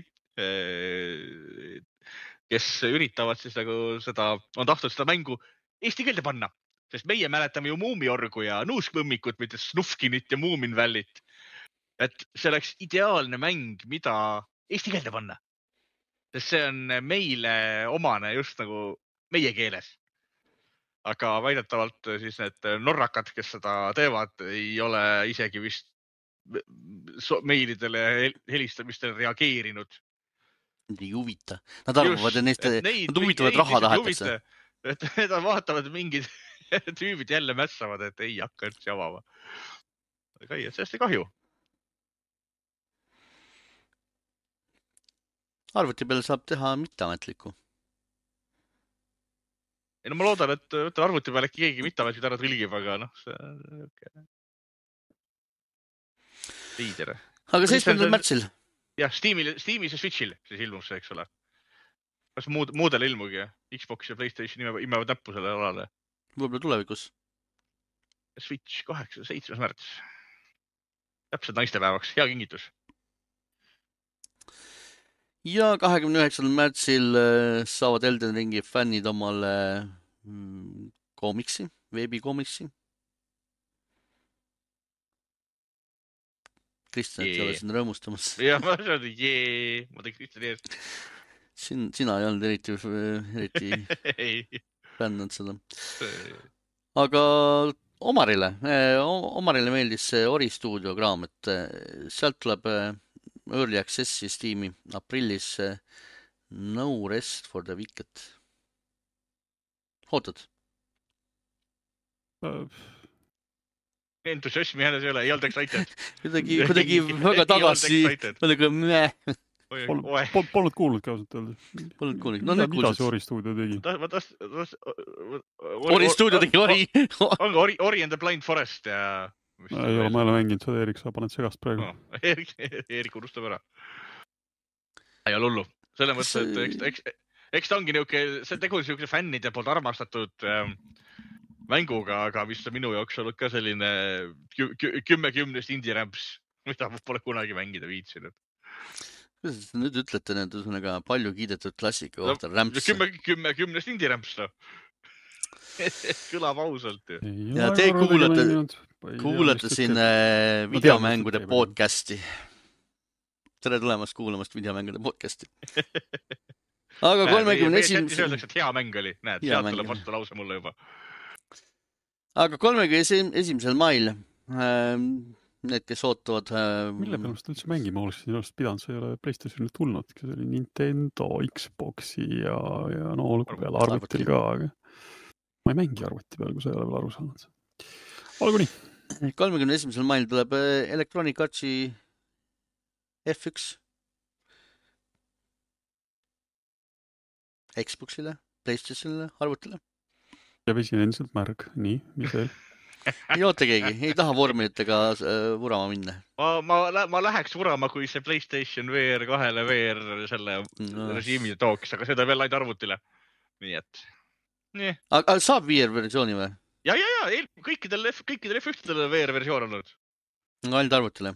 kes üritavad siis nagu seda, on tahtnud seda mängu eesti keelde panna. Sest meie mäletame ju Muumiorgu ja Nuuskvõmmikut, mitte Snufkinit ja Muuminvällit. Et see oleks ideaalne mäng, mida eesti keelde panna. Sest see on meile omane just nagu meie keeles. Aga väidetavalt siis need norrakad, kes seda teevad, ei ole isegi vist meilidele helistamistele reageerinud. Ei huvita. Nad arvavad, et neist, nad huvitavad raha tahetakse. Et need vaatavad mingid tüübid jälle mässavad, et ei hakka üldse avama. Aga ei, et sellest ei kahju. Arvuti peale saab teha mitteametlikku. Ei, no ma loodan, et arvuti peale äkki keegi mitteametlikku ära trilgib, aga noh, see okay. Liider. Aga seitsmendal märtsil? Jah, Steamil, Steamis ja Switchil siis ilmub see, eks ole. Kas muud, muudele ilmugi? Xbox ja PlayStation imevad näppu selle alale. Võib-olla tulevikus. Switch kaheksa, seitsmes märts. Täpselt naistepäevaks. Hea kingitus. Ja kahekümne üheksandal märtsil saavad Elden Ringi fännid omale koomiksi, veebikoomiksi. Kristjan, et ei ole siin rõõmustamas. Ja ma olen, jee, ma tegin Kristjani eest. Sin, sina ei olnud eriti, eriti fännanud seda. Aga Omarile, Omarile meeldis see Ori Studio kraam, et sealt tuleb Early Accessi Steam'i aprillis No Rest for the Wicked. Ootad? Entusiasmi hääles ei ole, ei olnud excited. Kuidagi, kuidagi väga tagasi, kuidagi meh. Polnud kuulnud ka ausalt öelda. Polnud kuulnud. No nüüd mida see Ori Studio tegi? Ori Studio tegi Ori. Ongi Ori, Ori and the Blind Forest ja... Ei ole, ma ei ole mänginud seda, Erik, sa paned segast praegu. No, Erik, Erik unustab ära. Ei ole hullu. Selle mõttes, et eks, eks, eks ta ongi niuke, see tegu niuke fännide poolt armastatud ähm, mänguga, aga mis on minu jaoks olnud ka selline kü kü kümme kümnest indie-rämps, mida ma pole kunagi mängida viitsinud. Kuidas te nüüd ütlete need üsnaga palju kiidetud klassika kohta no, rämps? Kümme, kümme kümnest indie-rämps, no. Kõlab ausalt ju. Ja te kuulate, kuulate siin äh, videomängude podcasti. Tere tulemast kuulamast videomängude podcasti. Aga kolmekümne esimesel... Sättis öeldakse, et hea mäng oli. Näed, sealt tuleb vastu lause mulle juba. Aga kolmekümne esimesel mail äh, need, kes ootavad... Äh, Mille peale seda üldse mängima oleks siin oleks pidanud, see ei ole PlayStationil tulnud. See oli Nintendo, Xboxi ja, ja no olgu peale arvutil ka, aga... Ma ei mängi arvuti peal, kui sa ei ole veel aru saanud. Olgu nii. kolmekümne esimesel mail tuleb Electronic Artsi F üks Xboxile, PlayStationile, arvutile. Ja vesin endiselt märg. Nii, mis veel? Ei oota keegi, ei taha vormilitega vurama minna. Ma, ma, ma läheks vurama, kui see PlayStation V R kahele V R selle no. režiimi tooks, aga seda veel ainult arvutile. Nii et... Nii. Aga saab V R versiooni või? Ja, ja, ja, kõikidel, kõikidel F üks V R versioon olnud. Ainult arvutile?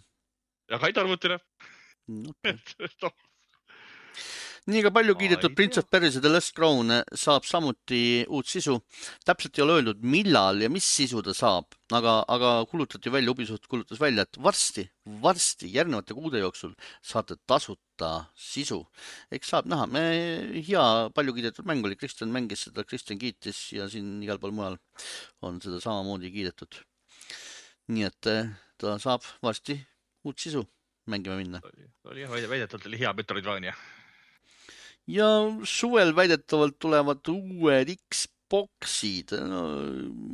Ja ka ainult arvutile. Okay. Nii ka palju kiidetud Prince of Persia The Last Crown saab samuti uut sisu. Täpselt ei ole öeldud, millal ja mis sisu ta saab, aga, aga kulutati välja, Ubisoft kulutas välja, et varsti, varsti järgnevate kuude jooksul saate tasuta sisu. Eks saab näha. Me, hea palju kiidetud mäng oli. Kristjan mängis seda, Kristjan kiitis ja siin igal pool mujal on seda samamoodi kiidetud. Nii et ta saab varsti uut sisu mängima minna. Oli jah, väidetavalt oli hea Metroidvania. Ja suvel väidetavalt tulevad uued X Xboxid, no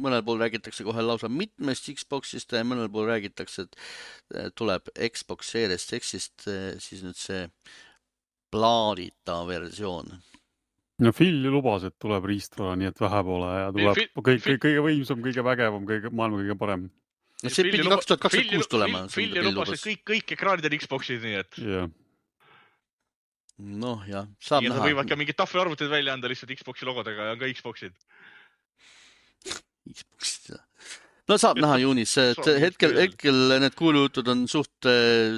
mõnel pool räägitakse kohe lausa mitmest Xboxist ja mõnel pool räägitakse, et tuleb Xbox Series X-ist siis nüüd see plaadita versioon. No Phil ju lubas, et tuleb riistvara, nii et vähe pole ja tuleb Phil- kõik, Phil- kõik, kõige võimsam, kõige vägevam, kõige, maailma kõige parem. No see pidi kaks tuhat kakskümmend kuus tulema. Phil lubas, et kõik, kõik ekraanid on Xboxid, nii et. Yeah. Noh, jah, saab ja näha. Ja võivad ka mingid tahvelarvutid välja anda lihtsalt Xboxi logodega ja on ka Xboxid. Xboxid, jah. No saab näha juunis, et hetkel, hetkel need kuulujutud on suht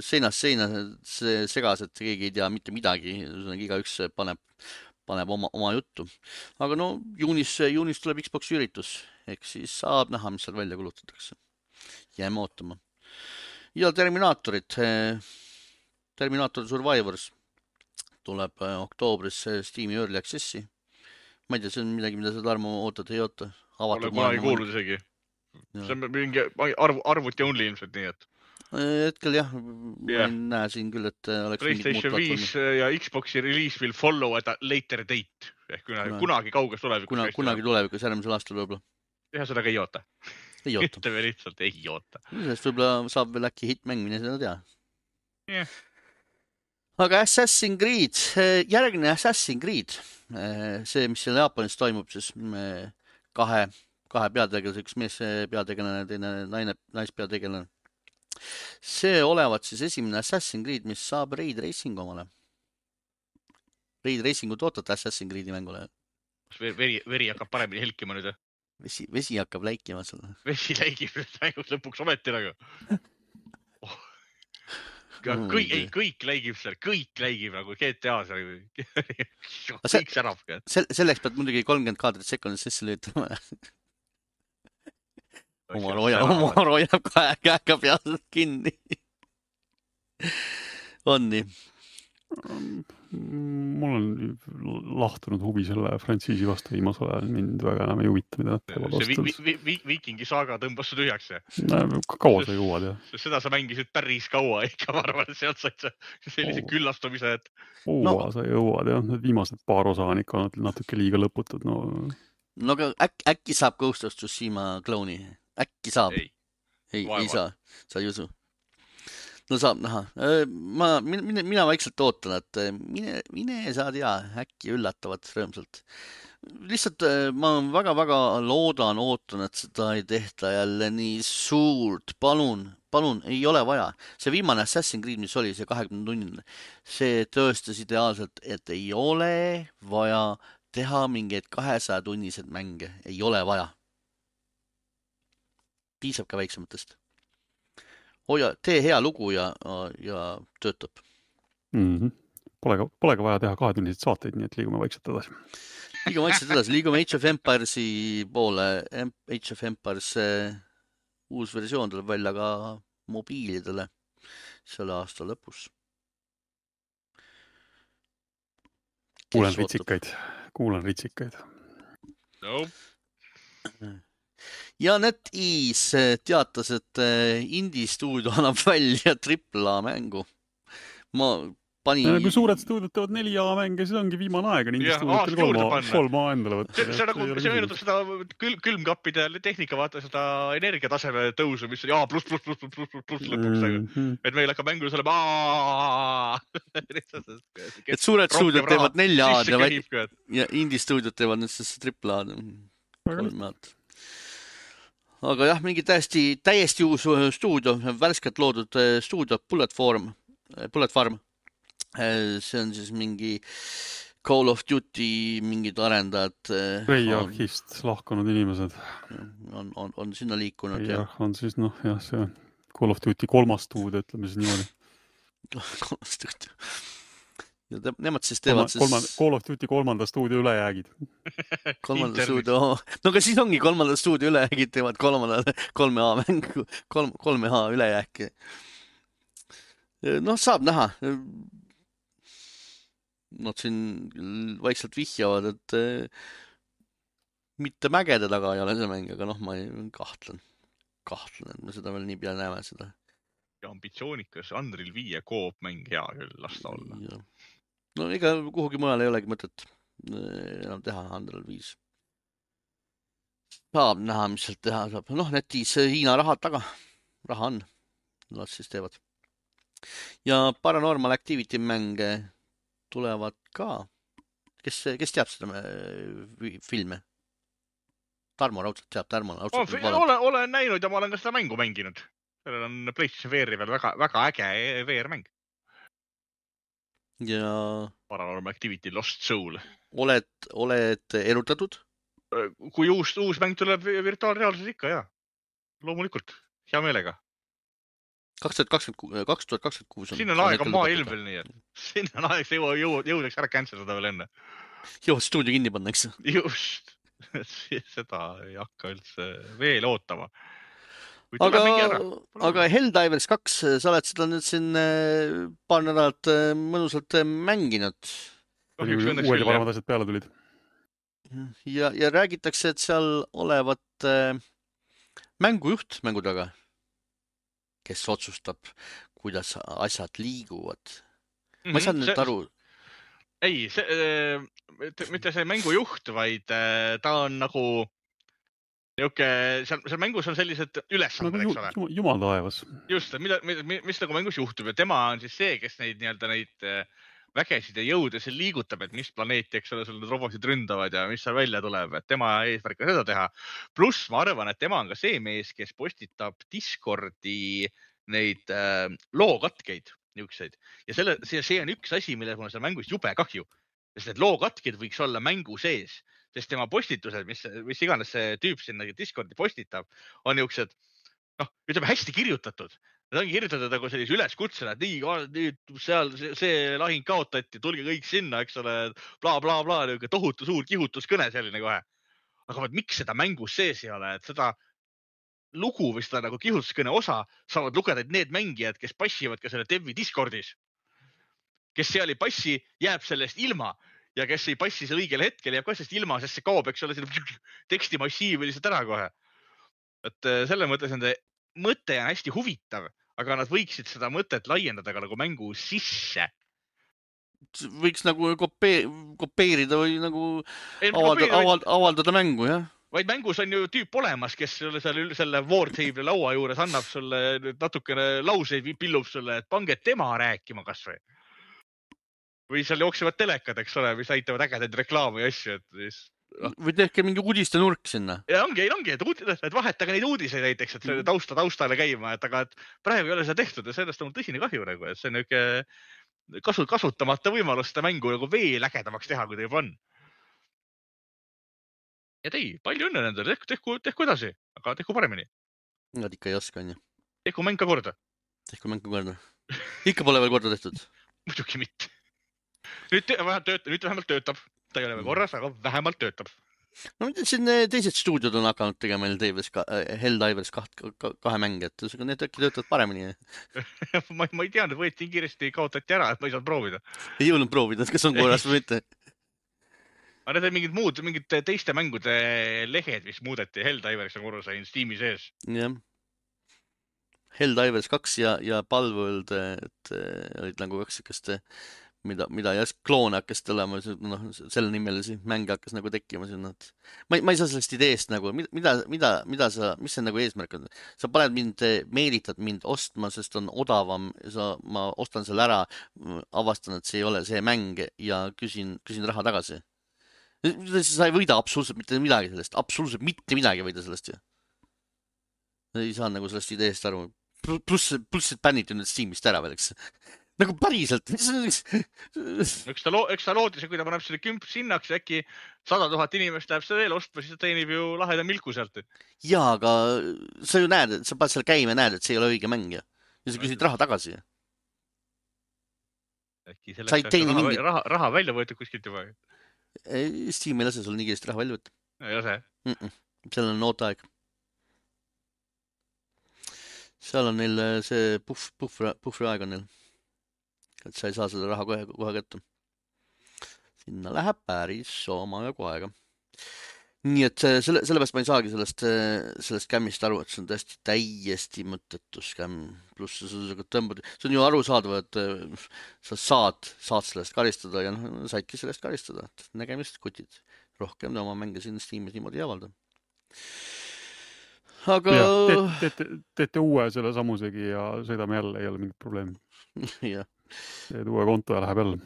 seinast seina segased, keegi ei tea mitte midagi, iga üks paneb, paneb oma, oma juttu. Aga no juunis, juunis tuleb Xboxi üritus, ehk siis saab näha, mis seal välja kulutatakse. Jääme ootama. Ja Terminaatorid, Terminaator Survivors tuleb oktoobris Steam'i Early Accessi. Ma ei tea, see on midagi, mida sa Tarmo ootad, ei oota. Olen kunagi kuulnud isegi. See on mingi arv, arvuti only ilmselt nii, et. Hetkel jah, ma yeah. ei näe siin küll, et oleks PlayStation viis ja Xboxi release will follow at a later date. Ehk kunagi, kunagi, kunagi kauges tulevikus. Kuna, kunagi tulevikus, järgmisel aastal võib-olla. Ja seda ka ei oota. Ei oota. Ütleme lihtsalt ei oota. Sellest võib-olla saab veel äkki hitmäng, mine seda tea. Yeah. Aga Assassin's Creed, järgne Assassin's Creed, see, mis seal Jaapanis toimub, siis kahe, kahe peategelase, üks mees peategelane, teine naine, naispeategelane. See olevat siis esimene Assassin's Creed, mis saab Raid Racing omale. Raid Racingut ootate Assassin's Creedi mängule? Veri, veri hakkab paremini helkima nüüd. Vesi, vesi hakkab läikima sulle. Vesi läigib mängus lõpuks ometi nagu. Oh. Kõik, ei, kõik läigib seal, kõik läigib nagu G T A seal. Kõik särab. Selleks pead muidugi kolmkümmend kaadrit sekundis sisse lüütama. Omar hoiab, Omar hoiab käega pealt kinni. On nii. Mul on lahtunud huvi selle frantsiisi vastu viimasel ajal, mind väga enam ei huvita, mida nad teevad ostanud. See vi, vi, Vikingi saaga tõmbas su tühjaks. Kaua sa jõuad, jah? Seda sa mängisid päris kaua ikka, ma arvan, et sealt said sa sellise oh. küllastumise, et... Uua no. Sa jõuad, jah. Need viimased paar osa on ikka natuke liiga lõputud. No, no aga äk, äkki saab Ghost of Tsushima klooni? Äkki saab? Ei, ei, ei saa. Sa ei usu? No saab näha. Ma, mina, mina vaikselt ootan, et mine, mine saa tea, äkki üllatavad rõõmsalt. Lihtsalt ma väga-väga loodan, ootan, et seda ei tehta jälle nii suurt. Palun, palun, ei ole vaja. See viimane Assassin's Creed, mis oli, see kahekümne tunnine, see tõestas ideaalselt, et ei ole vaja teha mingeid kahesaja tunnised mänge. Ei ole vaja. Piisab ka väiksematest. Hoia, tee hea lugu ja, ja töötab. Mm-hmm. Polega, polega vaja teha kahetunniseid saateid, nii et liigume vaikselt edasi. Liigume vaikselt edasi, liigume Age of Empiresi poole. Age of Empires uus versioon tuleb välja ka mobiilidele selle aasta lõpus. Kuulen ritsikaid, kuulen ritsikaid. No. Ja NetEase teatas, et Indie stuudio annab välja triple A mängu. Ma pani... Ja, kui suured stuudiod teevad neli A mänge, siis ongi viimane aeg on Indie stuudiot kolm A endale võtta. See, see, nagu, see meenutab seda kül, külmkappide tehnika, vaata seda energiataseme tõusu, mis on A plus, plus, plus, plus, plus, plus, plus lõpuks. Mm-hmm. Et meil hakkab mängus olema A. Et suured stuudiod teevad nelja A-d ja, ja Indie stuudiod teevad nüüd siis triple A-d. Kolm A-d. Aga jah, mingi täiesti, täiesti uus stuudio, värskelt loodud stuudio Bullet Farm, Bullet Farm. See on siis mingi Call of Duty mingid arendajad. Treyarchist lahkunud inimesed. On, on, on sinna liikunud. Treyarch on siis, noh, jah, see Call of Duty kolmas stuudio, ütleme siis niimoodi. Kolmas stuudio. Ja te, nemad siis teevad Kolma, siis... Call of Duty kolmanda stuudio ülejäägid. Kolmanda stuudio, no ka siis ongi kolmanda stuudio ülejäägid teevad kolmanda, kolme A mängu, kolm, kolme A ülejääki. Noh, saab näha. Nad siin vaikselt vihjavad, et mitte mägede taga ei ole see mäng, aga noh, ma kahtlen. Kahtlen, et me seda veel nii pea näeme seda. Ja ambitsioonikas Unreal viie koop mäng hea küll lasta olla. Ja. No ega kuhugi mujal ei olegi mõtet enam teha Unreal viis. saab näha, mis sealt teha saab. Noh, netis Hiina rahad taga. Raha on. Las siis teevad. Ja Paranormal Activity mänge tulevad ka. Kes, kes teab seda filme? Tarmo raudselt teab. Tarmo raudselt oh, olen, olen näinud ja ma olen ka seda mängu mänginud. Sellel on PlayStation V R-i veel väga, väga äge V R-mäng. Ja Paranormal Activity Lost Soul. Oled, oled erutatud? Kui uus, uus mäng tuleb virtuaalreaalsus ikka, jah. Loomulikult. Hea meelega. kaks tuhat kakskümmend, kaks tuhat kakskümmend kuus on. Siin on aeg on maailm veel nii, et siin on aeg, see jõudeks ära cancelada veel enne. Joo, stuudio kinni panna, eks? Just. Seda ei hakka üldse veel ootama. Aga, aga Helldivers kaks, sa oled seda nüüd siin paar nädalat mõnusalt mänginud. Uued ja paremad asjad peale tulid. Ja, ja räägitakse, et seal olevat mängujuht mängu taga, kes otsustab, kuidas asjad liiguvad. Ma ei saanud nüüd aru. Ei, see, mitte see mängujuht, vaid ta on nagu Niuke, seal, seal mängus on sellised ülesanded, nagu eks ole. Jumal taevas. Just, mida, mis, mis nagu mängus juhtub ja tema on siis see, kes neid, nii-öelda neid vägesid ja jõude seal liigutab, et mis planeeti, eks ole, sul need robotid ründavad ja mis seal välja tuleb, et tema eesmärk on seda teha. Pluss ma arvan, et tema on ka see mees, kes postitab Discordi neid äh, lookatkeid, niukseid. Ja selle, see, see on üks asi, mille mul seal mängus jube kahju. Sest need lookatked võiks olla mängu sees. Sest tema postitused, mis, mis iganes see tüüp sinna Discordi postitab, on niisugused, noh, ütleme hästi kirjutatud. Need ongi kirjutatud nagu sellise üleskutsena, et nii, nüüd seal see, see lahing kaotati, tulge kõik sinna, eks ole, bla, bla, bla, niisugune tohutu suur kihutuskõne selline kohe. Aga vaat, miks seda mängus sees ei ole, et seda lugu või seda nagu kihutuskõne osa saavad lugeda need mängijad, kes passivad ka selle Devi Discordis. Kes seal ei passi, jääb sellest ilma. Ja kes ei passi see õigel hetkel, jääb ka sellest ilma, sest see kaob, eks ole, tekstimassiiv või lihtsalt ära kohe. Et selle mõttes nende mõte on hästi huvitav, aga nad võiksid seda mõtet laiendada ka nagu mängu sisse. Võiks nagu kopee, kopeerida või nagu ei, avaldada, avald, avaldada mängu, jah? Vaid mängus on ju tüüp olemas, kes selle, selle Wartable laua juures annab sulle natukene lauseid, pillub sulle, et pange tema rääkima kas või. Või seal jooksevad telekad, eks ole, mis näitavad ägedaid reklaami ja asju. Et siis, no. Või tehke mingi uudiste nurk sinna. Ja ongi, ongi, et, uud, et vahetage neid uudiseid näiteks, et see tausta taustale käima, et aga et praegu ei ole seda tehtud ja sellest on tõsine kahju, nagu, et see on niuke kasut, kasutamata võimalus seda mängu nagu veel ägedamaks teha, kui ta juba on. Ja tei, palju õnne nendele, tehku, tehku, tehku edasi, aga tehku paremini. Nad ikka ei oska, on ju. Tehku mäng ka korda. Tehku mäng ka korda. Ikka pole veel korda tehtud. Muidugi mitte. Nüüd, töötab, nüüd vähemalt töötab. Ta ei ole veel korras, aga vähemalt töötab. No siin teised stuudiod on hakanud tegema Helldivers kahe mänge, et need äkki töötavad paremini. ma, ma ei teanud, võeti kiiresti kaotati ära, et ma ei saanud proovida. Ei jõudnud proovida, kas on korras või mitte. Aga need on mingid muud, mingid teiste mängude lehed, mis muudeti Helldivers on korra sain Steam'i sees. Jah. Helldivers kaks ja, ja Palworld, et olid nagu kaks ikast mida, mida ja kloone hakkas tulema, noh, selle nimelisi mänge hakkas nagu tekkima sinna. Ma, ma ei saa sellest ideest nagu, mida, mida, mida sa, mis see nagu eesmärk on? Sa paned mind, meelitad mind ostma, sest on odavam, sa, ma ostan selle ära, avastan, et see ei ole see mäng ja küsin, küsin raha tagasi. Sa ei võida absoluutselt mitte midagi sellest, absoluutselt mitte midagi võida sellest ju. Ei saa nagu sellest ideest aru. Pluss, pluss et bänniti nüüd Steamist ära veel, eks. Nagu päriselt. Eks ta, lo eks ta loodis, kui ta paneb selle kümp sinnaks, äkki sada tuhat inimest läheb seda veel ostma, siis ta teenib ju laheda milku sealt. Jaa, aga sa ju näed, sa paned seal käima ja näed, et see ei ole õige mäng. Ja sa küsid raha tagasi. Äkki selleks raha, mingi... raha, raha välja võetud kuskilt juba. Steam ei lase sul nii kiiresti raha välja võtta. Ei lase? Mm -mm. Seal on ooteaeg. Seal on neil see puff, puhvri, puhvri aeg on neil. Et sa ei saa seda raha kohe, kohe kätte. Sinna läheb päris oma ja koega. Nii et selle, sellepärast ma ei saagi sellest, sellest kämmist aru, et see on tõesti täiesti mõttetu skämm. Pluss sa tõmbad, see on ju arusaadav, et sa saad, saad sellest karistada ja no, saidki sellest karistada. Nägemist kutid. Rohkem oma mänge siin Steamis niimoodi ei avalda. aga jah, teete, teete, teete uue selle samusegi ja sõidame jälle, ei ole mingit probleemi. jah. Teed uue konto ja läheb jälle.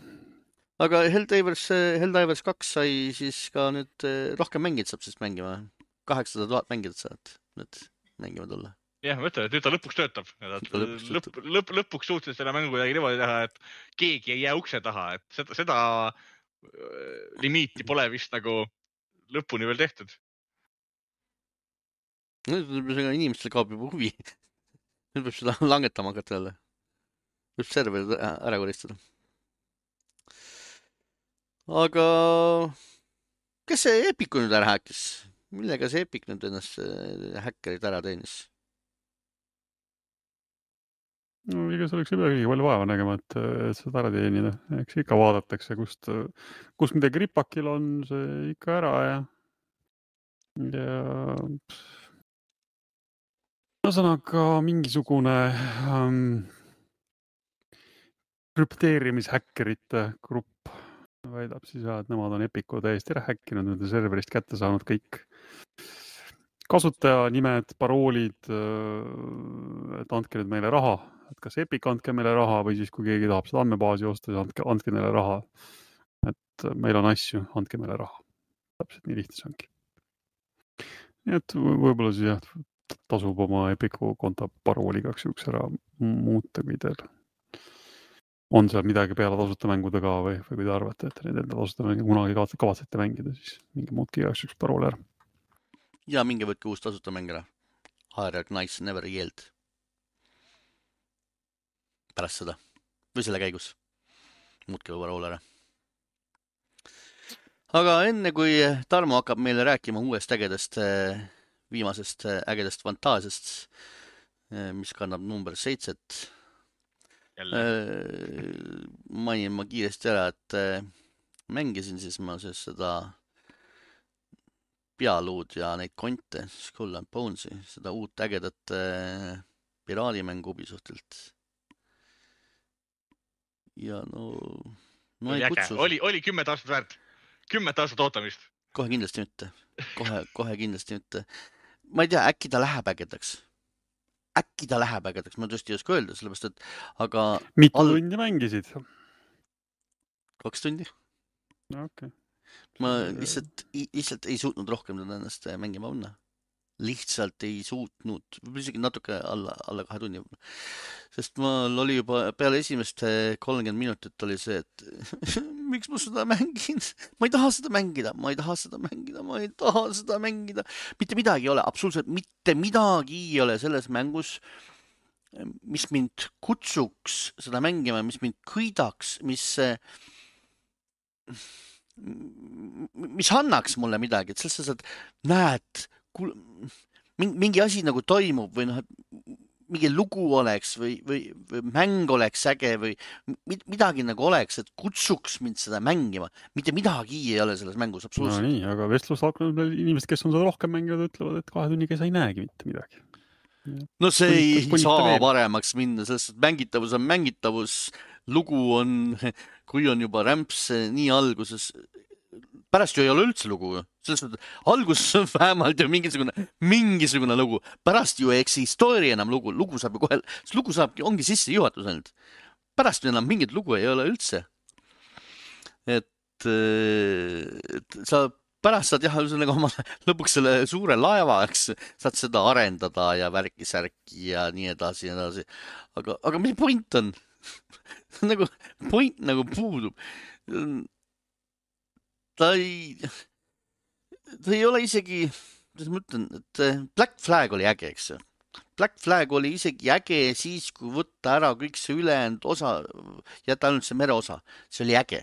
Aga Helldivers, Helldivers kaks sai siis ka nüüd rohkem mängid saab siis mängima. kaheksasada tuhat mängijat saad nüüd mängima tulla. jah, ma ütlen, et nüüd ta lõpuks töötab. lõpuks, lõp, lõp, lõpuks suutsid selle mängu kuidagi niimoodi teha, et keegi ei jää ukse taha, et seda, seda limiiti pole vist nagu lõpuni veel tehtud. Nüüd inimestel kaob juba huvi. Nüüd peab seda langetama hakata jälle. Võib serverid ära koristada. Aga kes see Epiku nüüd ära häkkis? Millega see Epic nüüd ennast häkkerid ära teenis? No ega see oleks juba kõige palju vaeva nägema, et, et seda ära teenida. Eks ikka vaadatakse, kust, kus midagi ripakil on, see ikka ära ja ja ühesõnaga mingisugune ähm, krüpteerimishäkkerite grupp väidab siis, et nemad on Epiku täiesti ära häkkinud, nende serverist kätte saanud kõik kasutajanimed, paroolid, et andke nüüd meile raha, et kas Epic andke meile raha või siis kui keegi tahab seda andmebaasi osta, siis andke, andke neile raha. Et meil on asju, andke meile raha. Täpselt nii lihtne see ongi. Nii et võib-olla siis jah, tasub oma Epiku konto parooli kaks juks ära muuta, kui teil on seal midagi peale tasuta mängude ka või, või kui te arvate, et need enda tasuta mängu kunagi kavatsete mängida, siis mingi muutki kaks juks parooli ära. Ja minge võtke uus tasuta mäng ära. Hard Knights Never Yield. Pärast seda. Või selle käigus. Muutke parool ära. Aga enne kui Tarmo hakkab meile rääkima uuest ägedast, viimasest ägedast fantaasiast, mis kannab number seitset, mainin ma kiiresti ära, et mängisin siis ma siis seda pealuud ja neid konte, Skull and Bonesi, seda uut ägedat piraadimängu Ubisoftilt. Ja no, no ei kutsu. Oli, oli kümmet aastat väärt. Kümmet aastat ootamist. Kohe kindlasti mitte. Kohe, kohe kindlasti mitte. Ma ei tea, äkki ta läheb ägedaks. Äkki ta läheb ägedaks, ma tõesti ei oska öelda, sellepärast, et aga... Mitu all... tundi mängisid? Kaks tundi. No, okei. Okay. Ma lihtsalt, lihtsalt ei suutnud rohkem ennast mängima panna. Lihtsalt ei suutnud, isegi natuke alla, alla kahe tunni. Sest mul oli juba peale esimest kolmkümmend minutit oli see, et miks ma seda mängin? Ma ei taha seda mängida, ma ei taha seda mängida, ma ei taha seda mängida. Mitte midagi ei ole, absoluutselt mitte midagi ei ole selles mängus, mis mind kutsuks seda mängima, mis mind kõidaks, mis... mis annaks mulle midagi, et selles mõttes, et näed, mingi asi nagu toimub või noh, mingi lugu oleks või, või, või mäng oleks äge või midagi nagu oleks, et kutsuks mind seda mängima. Mitte midagi ei ole selles mängus absoluutselt. No nii, aga vestlus hakanud inimesed, kes on seda rohkem mänginud, ütlevad, et kahe tunniga sa ei näegi mitte midagi. No see ei saa paremaks minna, sest mängitavus on mängitavus, lugu on, kui on juba rämps nii alguses, pärast ju ei ole üldse lugu. Selles mõttes, alguses on vähemalt ju mingisugune, mingisugune lugu. Pärast ju ei eksistoori enam lugu. Lugu saab ju kohe, lugu saabki, ongi sisse juhatus ainult. Pärast ju enam mingit lugu ei ole üldse. Et, et sa pärast saad jah, nagu oma lõpuks selle suure laeva, eks, saad seda arendada ja värki-särki ja nii edasi ja edasi. Aga, aga mis point on? nagu point nagu puudub. Ta ei, ta ei ole isegi, kuidas ma ütlen, et Black Flag oli äge, eks. Black Flag oli isegi äge siis, kui võtta ära kõik see ülejäänud osa, jätta ainult see mere osa. See oli äge.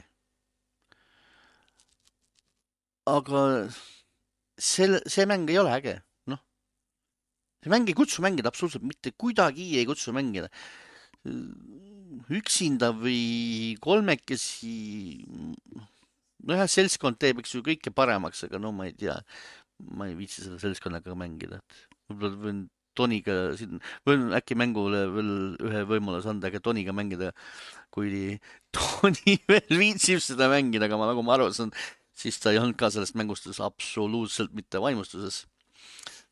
Aga see, see mäng ei ole äge. No. See mäng ei kutsu mängida, absoluutselt mitte kuidagi ei kutsu mängida. Üksinda või kolmekesi... No jah, seltskond teeb eks ju kõike paremaks, aga no ma ei tea, ma ei viitsi selle seltskonnaga mängida. Võib-olla võin Toniga, võin äkki mängule veel ühe võimalus anda, aga Toniga mängida, kui Toni veel viitsib seda mängida, aga ma nagu ma arvasin, siis ta ei olnud ka sellest mängustus absoluutselt mitte vaimustuses.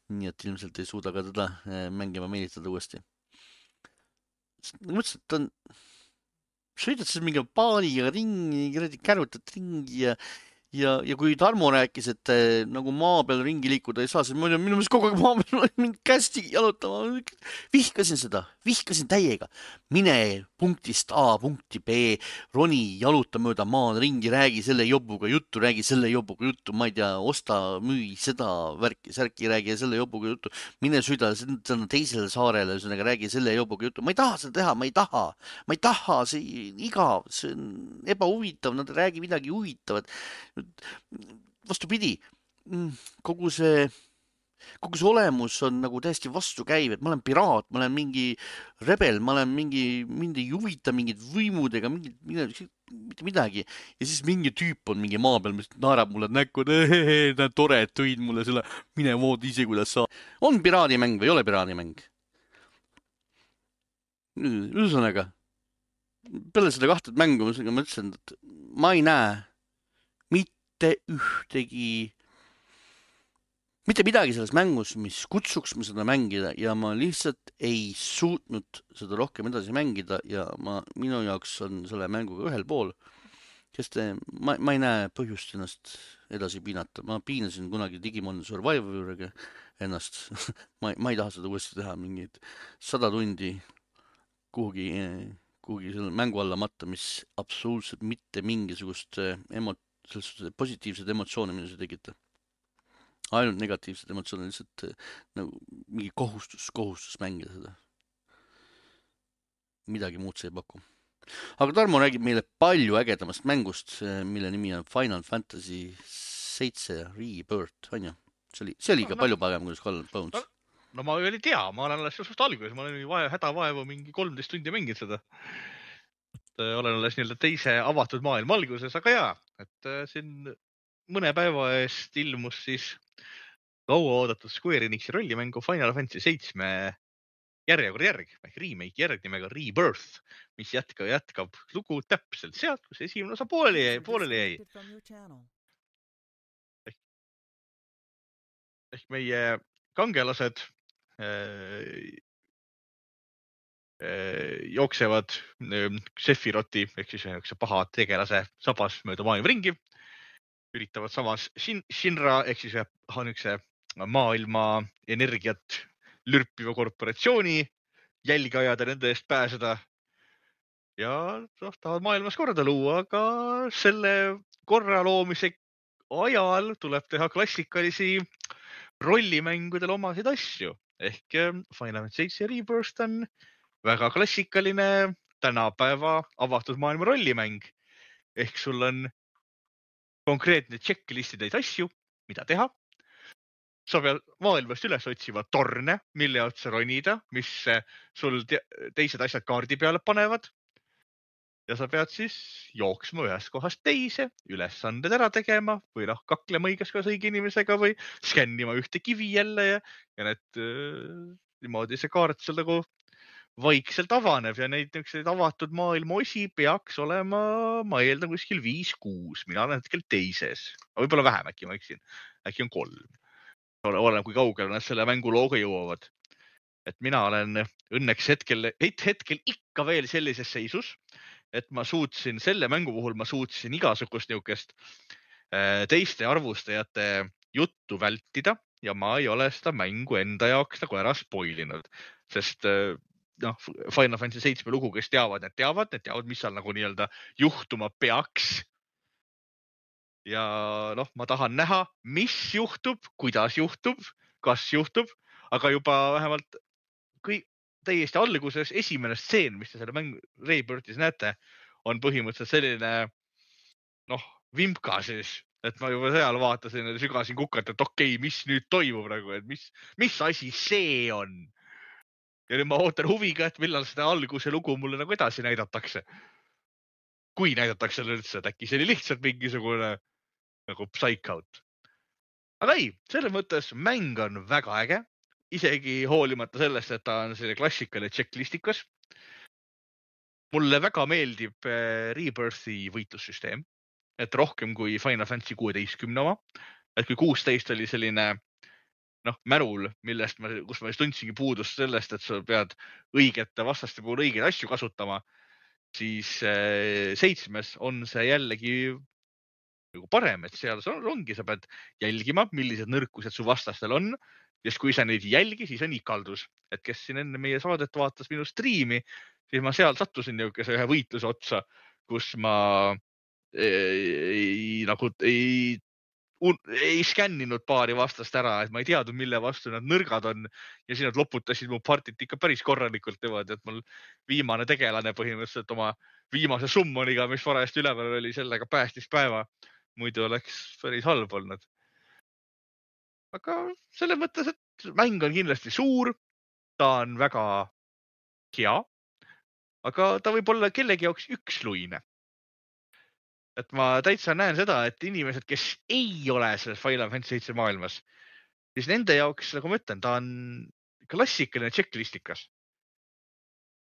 nii et ilmselt ei suuda ka teda mängima meelitada uuesti. Mõtlesin, et ta on, sõidad siis mingi paaniga ringi, kärutad ringi ja Ja, ja kui Tarmo rääkis, et äh, nagu maa peal ringi liikuda ei saa, siis ma olin minu meelest kogu aeg maa peal mind kästi jalutama. Vihkasin seda, vihkasin täiega. Mine punktist A punkti B, roni, jaluta mööda maad ringi, räägi selle jobuga juttu, räägi selle jobuga juttu, ma ei tea, osta, müü seda värki, särki, räägi selle jobuga juttu. Mine süda teisele saarele, ühesõnaga räägi selle jobuga juttu. Ma ei taha seda teha, ma ei taha. Ma ei taha, see igav, see on ebahuvitav, nad räägi midagi huvitavat. Vastupidi, kogu see, kogu see olemus on nagu täiesti vastukäiv, et ma olen piraat, ma olen mingi rebel, ma olen mingi, mind ei huvita mingid võimudega, mingid, mitte midagi. Ja siis mingi tüüp on mingi maa peal, mis naerab mulle näkku, et tore, et tõid mulle selle, mine vood ise, kuidas sa. On piraadimäng või ei ole piraadimäng? Ühesõnaga, peale seda kahtet mängu ma mõtlesin, et ma ei näe mitte ühtegi, mitte midagi selles mängus, mis kutsuks ma seda mängida ja ma lihtsalt ei suutnud seda rohkem edasi mängida ja ma, minu jaoks on selle mänguga ühel pool, sest ma, ma ei näe põhjust ennast edasi piinata. Ma piinasin kunagi Digimon Survivoriga ennast. ma, ma ei taha seda uuesti teha, mingid sada tundi kuhugi, kuhugi selle mängu alla matta, mis absoluutselt mitte mingisugust emot positiivsed emotsioone minu see tegita. Ainult negatiivsed emotsioone, lihtsalt nagu mingi kohustus, kohustus mängida seda. Midagi muud see ei paku. Aga Tarmo räägib meile palju ägedamast mängust, mille nimi on Final Fantasy seitse Rebirth, on ju? See oli, see oli ka no, palju parem kui Skull and Bones. No, no ma ei tea, ma olen alles just alguses, ma olen vaja, hädavaevu mingi kolmteist tundi mänginud seda. Olen alles nii-öelda teise avatud maailma alguses, aga jaa, et siin mõne päeva eest ilmus siis kaua oodatud Square Enixi rollimängu Final Fantasy seitse järjekord järg, ehk remake järg nimega Rebirth, mis jätka, jätkab lugu täpselt sealt, kus esimene osa pooleli jäi. Pooleli jäi. Ehk, ehk meie kangelased äh, jooksevad Sephiroti ehk siis üks paha tegelase sabas mööda maailma ringi, üritavad samas Shin, Shinra ehk siis üks maailma energiat lürpiva korporatsiooni jälgi ajada, nende eest pääseda ja noh, tahavad maailmas korda luua, aga selle korra loomise ajal tuleb teha klassikalisi rollimängudel omasid asju ehk Final Fantasy seitse Rebirth on väga klassikaline tänapäeva avatud maailma rollimäng. Ehk sul on konkreetne checklistide asju, mida teha. Sa pead maailmast üles otsima torne, mille otsa ronida, mis sul te teised asjad kaardi peale panevad. Ja sa pead siis jooksma ühest kohast teise, ülesanded ära tegema või noh, kaklema õiges kohas õige inimesega või skännima ühte kivi jälle ja, ja need niimoodi see kaart seal nagu vaikselt avaneb ja neid avatud maailma osi peaks olema, ma eeldan kuskil viis kuus. Mina olen hetkel teises. Võib-olla vähem äkki ma eksin. Äkki on kolm. Olen kui kaugel nad selle mängu looga jõuavad. Et mina olen õnneks hetkel, hetkel ikka veel sellises seisus, et ma suutsin, selle mängu puhul ma suutsin igasugust niukest teiste arvustajate juttu vältida ja ma ei ole seda mängu enda jaoks nagu ära spoilinud, sest noh, Final Fantasy seitse lugu, kes teavad, need teavad, need teavad, mis seal nagu nii-öelda juhtuma peaks. Ja noh, ma tahan näha, mis juhtub, kuidas juhtub, kas juhtub, aga juba vähemalt kõik täiesti alguses esimene stseen, mis te selle mängu Rebirthis näete, on põhimõtteliselt selline noh, vimka siis, et ma juba seal vaatasin ja sügasin kukalt, et okei, okay, mis nüüd toimub nagu, et mis, mis asi see on? Ja nüüd ma ootan huviga, et millal seda alguse lugu mulle nagu edasi näidatakse. Kui näidatakse üldse, et äkki see oli lihtsalt mingisugune nagu psych-out. Aga ei, selles mõttes mäng on väga äge, isegi hoolimata sellest, et ta on selle klassikaline checklistikas. Mulle väga meeldib Rebirthi võitlussüsteem, et rohkem kui Final Fantasy kuusteist oma, et kui kuusteist oli selline noh, märul, millest ma, kus ma just tundsingi puudust sellest, et sa pead õigete vastaste puhul õigeid asju kasutama, siis äh, seitsmes on see jällegi nagu parem, et seal on, ongi, sa pead jälgima, millised nõrkused su vastastel on. Ja kui sa neid ei jälgi, siis on ikaldus. Et kes siin enne meie saadet vaatas minu striimi, siis ma seal sattusin niisuguse ühe võitluse otsa, kus ma ei, nagu ei, ei skänninud paari vastast ära, et ma ei teadnud, mille vastu nad nõrgad on. Ja siis nad loputasid mu partit ikka päris korralikult niimoodi, et mul viimane tegelane põhimõtteliselt oma viimase summoniga, mis varajasti üleval oli, sellega päästis päeva. Muidu oleks päris halb olnud. Aga selle mõttes, et mäng on kindlasti suur, ta on väga hea, aga ta võib olla kellegi jaoks üksluine. Et ma täitsa näen seda, et inimesed, kes ei ole selles Final Fantasy seitse maailmas, siis nende jaoks, nagu ma ütlen, ta on klassikaline checklistikas.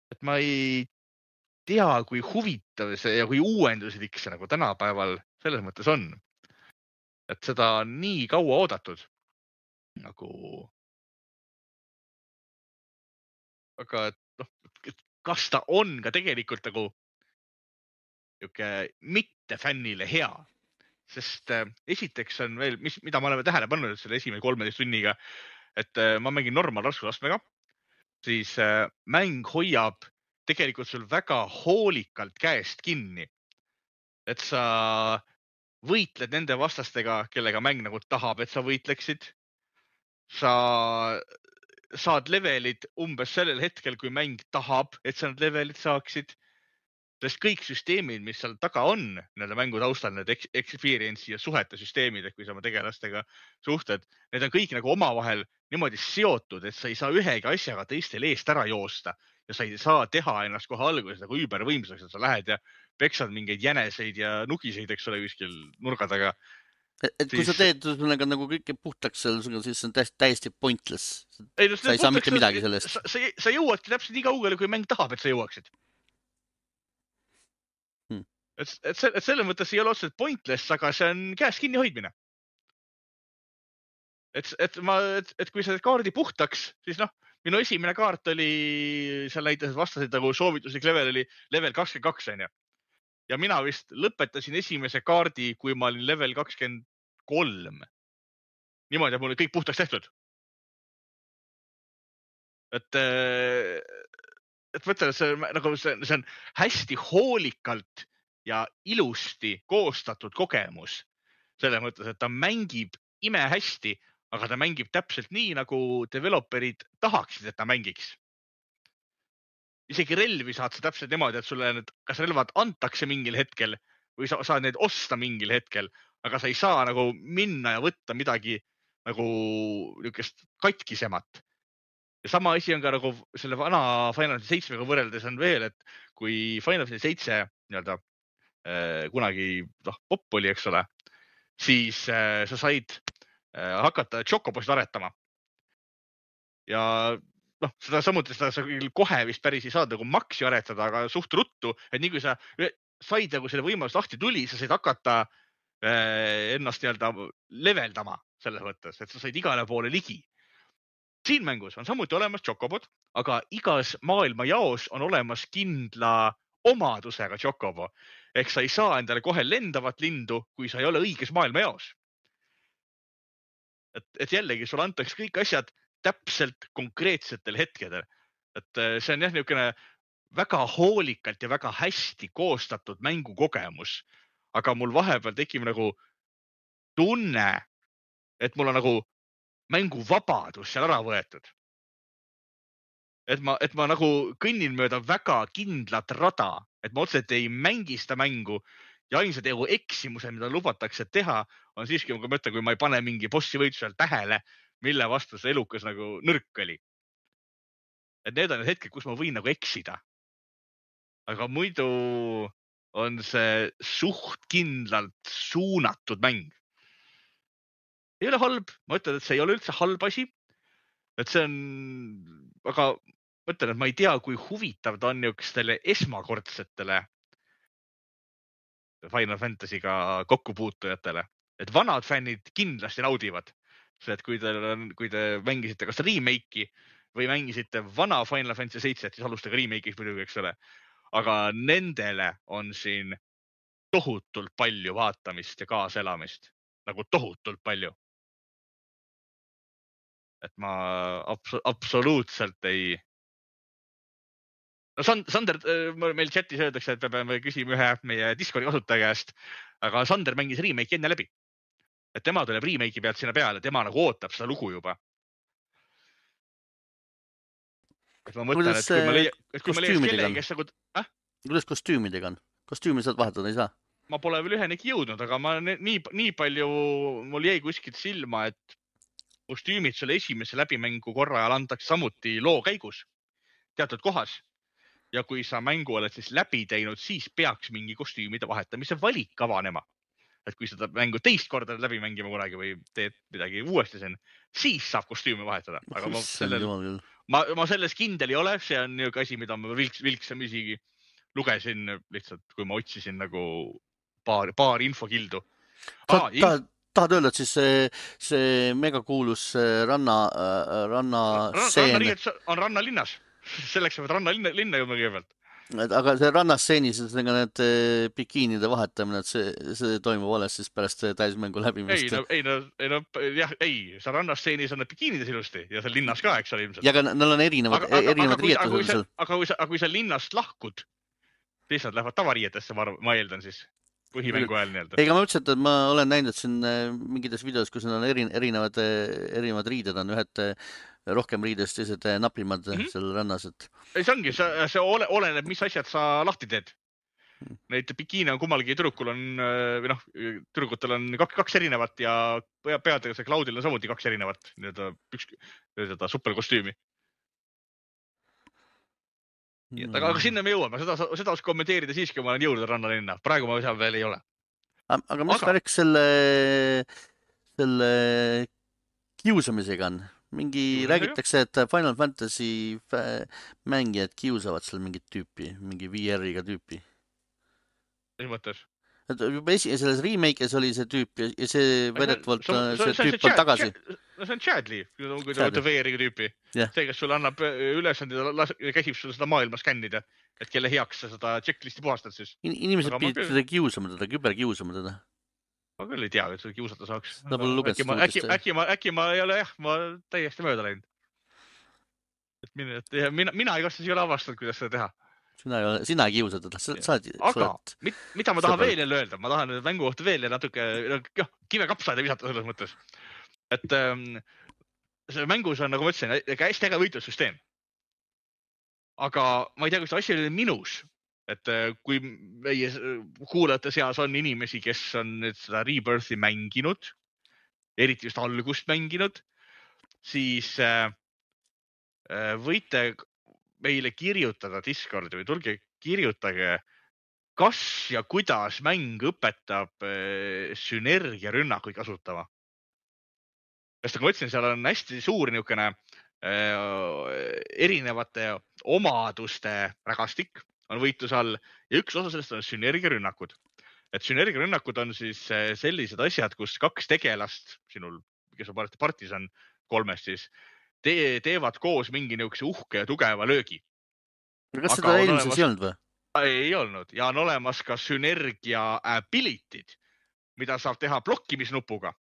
Et ma ei tea, kui huvitav see ja kui uuenduslik see nagu tänapäeval selles mõttes on. Et seda on nii kaua oodatud. Nagu... Aga et, noh, kas ta on ka tegelikult nagu mitte fännile hea? Sest äh, esiteks on veel, mis, mida ma oleme tähele pannud selle esimene kolmeteist tunniga, et äh, ma mängin normal raskusastmega, siis äh, mäng hoiab tegelikult sul väga hoolikalt käest kinni. Et sa võitled nende vastastega, kellega mäng nagu tahab, et sa võitleksid. Sa saad levelid umbes sellel hetkel, kui mäng tahab, et sa need levelid saaksid. Sest kõik süsteemid, mis seal taga on, nende mängu taustal, need experience'i ja suhete süsteemid, et kui sa oma tegelastega suhted, need on kõik nagu omavahel niimoodi seotud, et sa ei saa ühegi asjaga teistel eest ära joosta ja sa ei saa teha ennast kohe alguses nagu üübervõimsaks, et sa lähed ja peksad mingeid jäneseid ja nugiseid, eks ole, kuskil nurga taga. Et, et kui siis... sa teed nagu, nagu kõike puhtaks seal, siis see on täiesti, täiesti pointless. Ei, no, sa ei saa mitte midagi sellest. Sa, sa, sa jõuadki täpselt nii kaugele, kui mäng tahab, et sa jõuaksid. Hmm. Et, et, see, et selle mõttes ei ole otseselt pointless, aga see on käes kinni hoidmine. Et, et, ma, et, et kui sa kaardi puhtaks, siis noh, minu esimene kaart oli, seal näitas vastasid nagu soovituslik level oli level kakskümmend kaks, on ju. Ja mina vist lõpetasin esimese kaardi, kui ma olin level kakskümmend kolm. Niimoodi, et mul oli kõik puhtaks tehtud. Et, et mõtlen, et see, nagu see, see on hästi hoolikalt ja ilusti koostatud kogemus. Selle mõttes, et ta mängib ime hästi, aga ta mängib täpselt nii, nagu developerid tahaksid, et ta mängiks. Isegi relvi saad sa täpselt niimoodi, et sulle need, kas relvad antakse mingil hetkel või sa saad neid osta mingil hetkel, aga sa ei saa nagu minna ja võtta midagi nagu niisugust katkisemat. Ja sama asi on ka nagu selle vana Final Fantasy seitsmega võrreldes on veel, et kui Final Fantasy seitse nii-öelda äh, kunagi noh, pop oli, eks ole, siis äh, sa said äh, hakata Chocobosid aretama. Ja noh, seda samuti seda sa kohe vist päris ei saa nagu maksi aretada, aga suht ruttu, et nii kui sa said nagu selle võimalus lahti tuli, sa said hakata äh, ennast nii-öelda leveldama selles mõttes, et sa said igale poole ligi. Siin mängus on samuti olemas Chocobod, aga igas maailma jaos on olemas kindla omadusega Chocobo. Ehk sa ei saa endale kohe lendavat lindu, kui sa ei ole õiges maailma jaos. Et, et jällegi, sul antaks kõik asjad täpselt konkreetsetel hetkedel. Et see on jah niisugune väga hoolikalt ja väga hästi koostatud mängukogemus. Aga mul vahepeal tekib nagu tunne, et mul on nagu mänguvabadus seal ära võetud. Et ma, et ma nagu kõnnin mööda väga kindlat rada, et ma otseselt ei mängi seda mängu ja ainsad egu eksimuse, mida lubatakse teha, on siiski, kui ma ütlen, kui ma ei pane mingi bossi võitlusel tähele, mille vastu see elukas nagu nõrk oli. Et need on need hetked, kus ma võin nagu eksida. Aga muidu on see suht kindlalt suunatud mäng. Ei ole halb, ma ütlen, et see ei ole üldse halb asi. Et see on, aga ma ütlen, et ma ei tea, kui huvitav ta on niisugustele esmakordsetele Final Fantasy'ga kokkupuutujatele. Et vanad fännid kindlasti naudivad. see, et kui te, kui te mängisite kas remake'i või mängisite vana Final Fantasy seitse, siis alustage remake'is muidugi, eks ole. Aga nendele on siin tohutult palju vaatamist ja kaaselamist. Nagu tohutult palju. Et ma abs absoluutselt ei... No Sander, meil chatis öeldakse, et me peame küsima ühe meie Discordi kasutaja käest, aga Sander mängis remake enne läbi. Et tema tuleb remake'i pealt sinna peale, tema nagu ootab seda lugu juba. Et ma mõtlen, et kui ma leiaks, et kui ma leiaks kellegi, kes nagu... Äh? Kuidas kostüümidega on? Kostüümi saad vahetada, ei saa? Ma pole veel ühenegi jõudnud, aga ma nii, nii palju mul jäi kuskilt silma, et kostüümid selle esimese läbimängu korra ajal antakse samuti loo käigus teatud kohas. Ja kui sa mängu oled siis läbi teinud, siis peaks mingi kostüümide vahetamise valik avanema. Et kui seda mängu teist korda läbi mängima kunagi või teed midagi uuesti siin, siis saab kostüümi vahetada. Aga ma, sellel, ma, ma selles kindel ei ole, see on niisugune asi, mida ma vilks, vilksamisi lugesin lihtsalt, kui ma otsisin nagu paar, paar infokildu. Ah, ta, inf... Tahad öelda, et siis see, see megakuulus ranna, ranna seen... Ranna on rannalinnas. Selleks peavad ranna linna, linna jõudma kõigepealt. Aga see rannastseenis, need bikiinide vahetamine, et see, see toimub alles siis pärast täismängu läbimist. Ei, no, ei, no, ei, no, jah, ei, see rannastseenis on need bikiinides ilusti ja seal linnas ka, eks ole ilmselt. Ja aga neil on erinevad, aga, erinevad aga, riietused. Aga, seal. aga kui sa, aga kui sa linnast lahkud, siis nad lähevad tavariietesse, ma, ma eeldan siis. Põhimängu ajal nii-öelda. Ega ma ütlesin, et ma olen näinud, et siin mingites videos, kus on erinevad, erinevad riided on, ühed rohkem riidest, teised napimad mm -hmm. seal rannas. Et... Ei, see ongi, see, see ole, oleneb, mis asjad sa lahti teed. Neid bikiine on kummalgi tüdrukul on, või noh, tüdrukutel on kaks, kaks erinevat ja peadega see Cloudil on samuti kaks erinevat nii-öelda üks nii-öelda superkostüümi. Mm. Aga, aga sinna me jõuame, seda, seda os kommenteerida siiski, kui ma olen jõudnud rannalinna. Praegu ma seal veel ei ole. Aga mis aga... värk selle, selle kiusamisega on? Mingi Kiusamisega? Räägitakse, et Final Fantasy mängijad kiusavad seal mingit tüüpi, mingi V R-iga tüüpi. Mis mõttes? Et juba esi, selles remake'is oli see tüüp ja see vedetavalt see, see, see tüüp on tagasi. No see on Chadley, kui ta võtta V R-iga tüüpi. Yeah. See, kes sulle annab ülesandid ja käsib sulle seda maailma skännida, et kelle heaks sa seda checklisti puhastad siis. In inimesed pidid teda kiusama teda, küber kiusama teda. Ma küll ei tea, et seda kiusata saaks. Äkki ma, äkki, äkki, ma, äkki ma ei ole jah, ma täiesti mööda läinud. Et mina, et mina, mina ei kastas ei ole avastanud, kuidas seda teha. Sina ei, ole, sina ei kiusa teda. Sa, sa, aga mit, mida ma tahan veel jälle öelda? Ma tahan mängu kohta veel natuke jah, kive kapsaida visata selles mõttes. Et ähm, see mängus on, nagu ma ütlesin, hästi äge võitlussüsteem. Aga ma ei tea, kus asi oli minus. Et kui meie kuulajate seas on inimesi, kes on nüüd seda Rebirthi mänginud, eriti just algust mänginud, siis äh, võite meile kirjutada Discordi või tulge kirjutage, kas ja kuidas mäng õpetab äh, sünergiarünnakuid kasutama. Sest nagu ma ütlesin, seal on hästi suur niisugune äh, erinevate omaduste rägastik on võitluse all ja üks osa sellest on sünergiarünnakud. Et sünergiarünnakud on siis sellised asjad, kus kaks tegelast, sinul, kes on parti partisan kolmest siis, te teevad koos mingi niisuguse uhke ja tugeva löögi. Kas Aga seda eelmises olemas... ei olnud või? Ei olnud ja on olemas ka sünergia ability'd, mida saab teha blokkimisnupuga.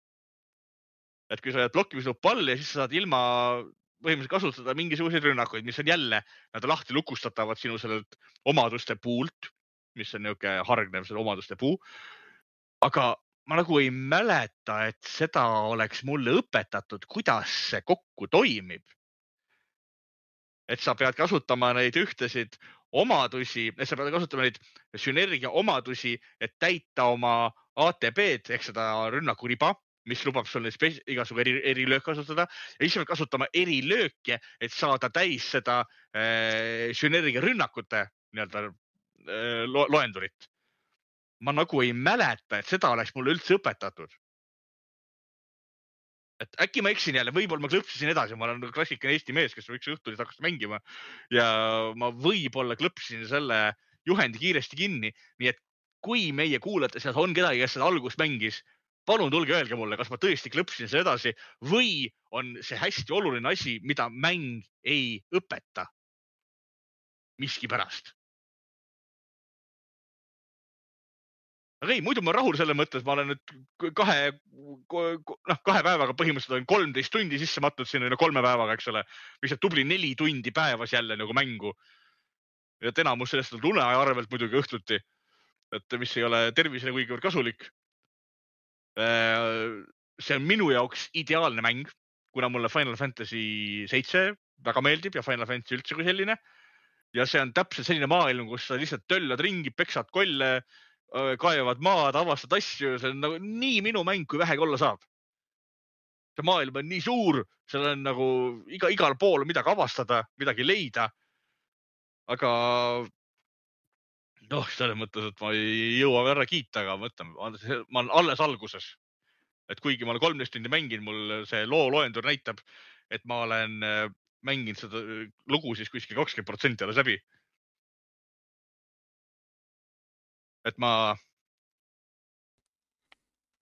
Et kui sa oled blokkimisnupu all ja siis sa saad ilma põhimõtteliselt kasutada mingisuguseid rünnakuid, mis on jälle, nad lahti lukustatavad sinu sellelt omaduste puult, mis on niisugune hargnev selle omaduste puu. Aga ma nagu ei mäleta, et seda oleks mulle õpetatud, kuidas see kokku toimib. Et sa pead kasutama neid ühtesid omadusi, et sa pead kasutama neid sünergia omadusi, et täita oma A T B-d ehk seda rünnakuriba, mis lubab sul igasugu eri, erilöök kasutada ja siis pead kasutama erilööke, et saada täis seda äh, sünergia rünnakute nii-öelda äh, lo loendurit. Ma nagu ei mäleta, et seda oleks mulle üldse õpetatud. Et äkki ma eksin jälle, võib-olla ma klõpsisin edasi, ma olen klassikaline Eesti mees, kes üks õhtul hakkas mängima ja ma võib-olla klõpsisin selle juhendi kiiresti kinni, nii et kui meie kuulajate seas on kedagi, kes seda algust mängis, palun tulge öelge mulle, kas ma tõesti klõpsin see edasi või on see hästi oluline asi, mida mäng ei õpeta miski pärast. aga ei, muidu ma rahul selle mõttes, ma olen nüüd kahe, noh, kahe päevaga põhimõtteliselt olen kolmteist tundi sisse matnud sinna no kolme päevaga, eks ole, mis on tubli neli tundi päevas jälle nagu mängu. Ja enamus sellest on uneaja arvelt muidugi õhtuti, et mis ei ole tervisele kuigivõrd kasulik. See on minu jaoks ideaalne mäng, kuna mulle Final Fantasy seitse väga meeldib ja Final Fantasy üldse kui selline. Ja see on täpselt selline maailm, kus sa lihtsalt töllad ringi, peksad kolle, kaevad maad, avastad asju. See on nagu nii minu mäng, kui vähegi olla saab. See maailm on nii suur, seal on nagu iga, igal pool midagi avastada, midagi leida. Aga noh, selles mõttes, et ma ei jõua ära kiita, aga ma mõtlen, ma olen alles alguses. Et kuigi ma olen kolmteist tundi mängin, mul see loo loendur näitab, et ma olen mänginud seda lugu siis kuskil kakskümmend protsenti alles läbi. Et ma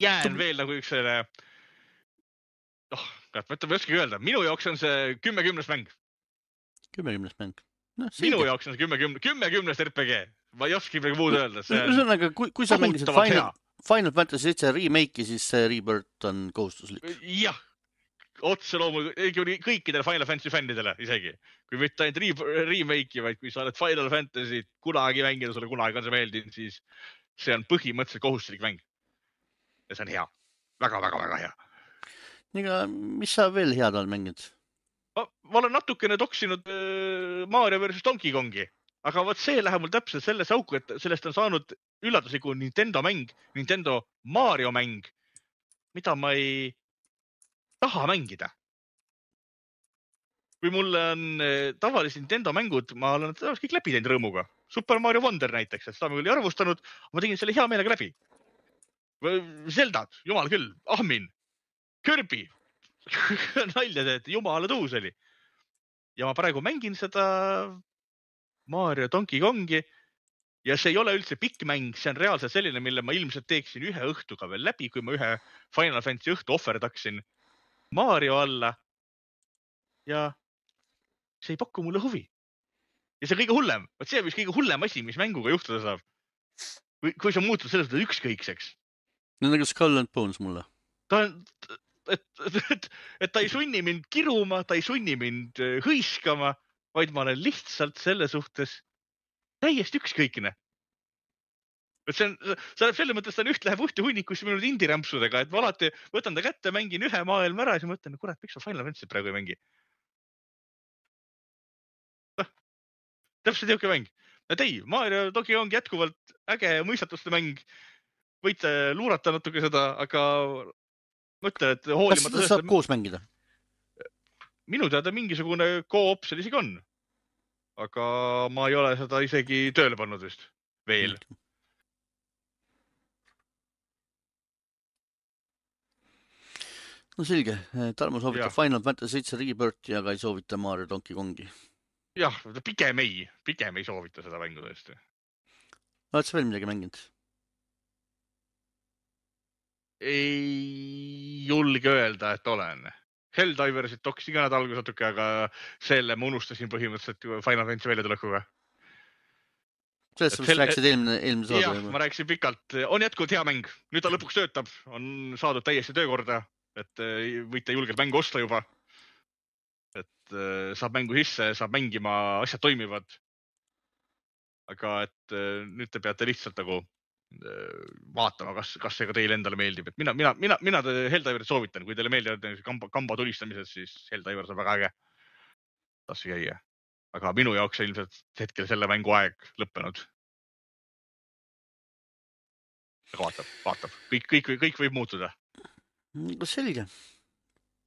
jään veel nagu üks selle, noh, ma ei oskagi öelda, minu jaoks on see kümme kümnest mäng. kümme kümnest mäng. No, minu jaoks on see kümme kümnest R P G. Ma ei oskagi midagi muud öelda. Ühesõnaga, kui, kui sa mängisid Final, Final Fantasy seitse remake'i, siis see Rebirth on kohustuslik. Jah, otse loomulikult kõikidele Final Fantasy fännidele isegi. Kui mitte ainult remake'i, vaid kui sa oled Final Fantasy kunagi mängida, sulle kunagi on see meeldinud, siis see on põhimõtteliselt kohustuslik mäng. Ja see on hea. Väga, väga, väga hea. Niga, mis sa veel head oled mänginud? Ma, ma olen natukene toksinud Mario versus Donkey Kongi, aga võt see läheb mul täpselt selles auku, et sellest on saanud üllatusliku Nintendo mäng, Nintendo Mario mäng, mida ma ei taha mängida. Kui mul on tavalised Nintendo mängud, ma olen kõik läbi teinud rõõmuga. Super Mario Wonder näiteks, et seda ma küll ei arvustanud, ma tegin selle hea meelega läbi. Zeldad, jumal küll, Ahmin, Kirby, nalja see, et jumala tuus oli. Ja ma praegu mängin seda Mario Donkey Kongi ja see ei ole üldse pikk mäng, see on reaalselt selline, mille ma ilmselt teeksin ühe õhtuga veel läbi, kui ma ühe Final Fantasy õhtu ohverdaksin Mario alla ja see ei paku mulle huvi. Ja see kõige hullem, vaat see on vist kõige hullem asi, mis mänguga juhtuda saab. Kui, kui sa muutud sellest ükskõikseks. No nagu Skull and Bones mulle. Ta on, et, et, et ta ei sunni mind kiruma, ta ei sunni mind hõiskama, vaid ma olen lihtsalt selle suhtes täiesti ükskõikne. Et see on, see on selle mõttes, ta on üht läheb ühte hunnikusse minu indirämpsudega, et ma alati võtan ta kätte, mängin ühe maailma ära ja siis mõtlen, kurat, miks ma Final Fantasy praegu ei mängi. Täpselt jõuke mäng. Et ei, Mario Donkey Kong jätkuvalt äge mõistatuste mäng. Võite luurata natuke seda, aga mõtle, et hoolimata... Kas seda saab koos mängida? Minu teada mingisugune koop seal isegi on. Aga ma ei ole seda isegi tööle pannud vist. Veel. No selge. Tarmo soovitab Final Fantasy seitse Rebirthi, aga ei soovita Mario Donkey Kongi. Jah, pigem ei. Pigem ei soovita seda mängu tõesti. Oled sa veel midagi mänginud? Ei julge öelda, et olen. Helldiversit toksin ka nad alguses natuke, aga selle ma unustasin põhimõtteliselt Final Fantasy väljatulekuga. Sellest sa vist rääkisid eelmine, eelmine saade. Jah, ma rääkisin pikalt. On jätkuvalt hea mäng. Nüüd ta lõpuks töötab. On saadud täiesti töökorda, et võite julgelt mängu osta juba. Et saab mängu sisse, saab mängima, asjad toimivad. Aga et nüüd te peate lihtsalt nagu vaatama, kas, kas see ka teile endale meeldib. Et mina, mina, mina, mina Helldiverit soovitan. Kui teile meeldivad kamba, kamba tulistamised, siis Helldiver on väga äge. Tassi käia. Aga minu jaoks on ilmselt hetkel selle mängu aeg lõppenud. Aga vaatab, vaatab. Kõik, kõik, kõik võib muutuda. Selge.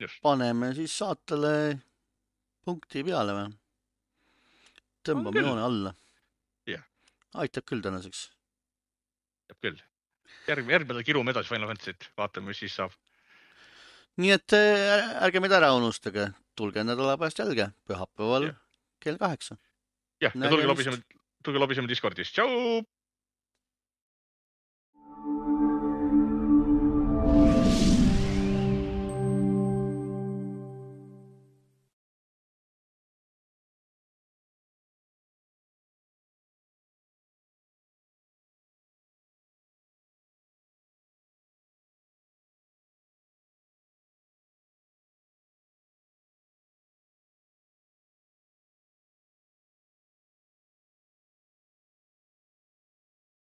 Just. Paneme siis saatele punkti peale või? Tõmbame joone alla. Yeah. Aitab küll tänaseks. Jääb küll. Järg, järgmine kirume edasi Final Fantasy't. Vaatame, mis siis saab. Nii et ärge meid ära unustage. Tulge nädala pärast jälge. Pühapäeval yeah. kell kaheksa. Jah, ja tulge lobiseme, tulge lobiseme Discordis. Tšau!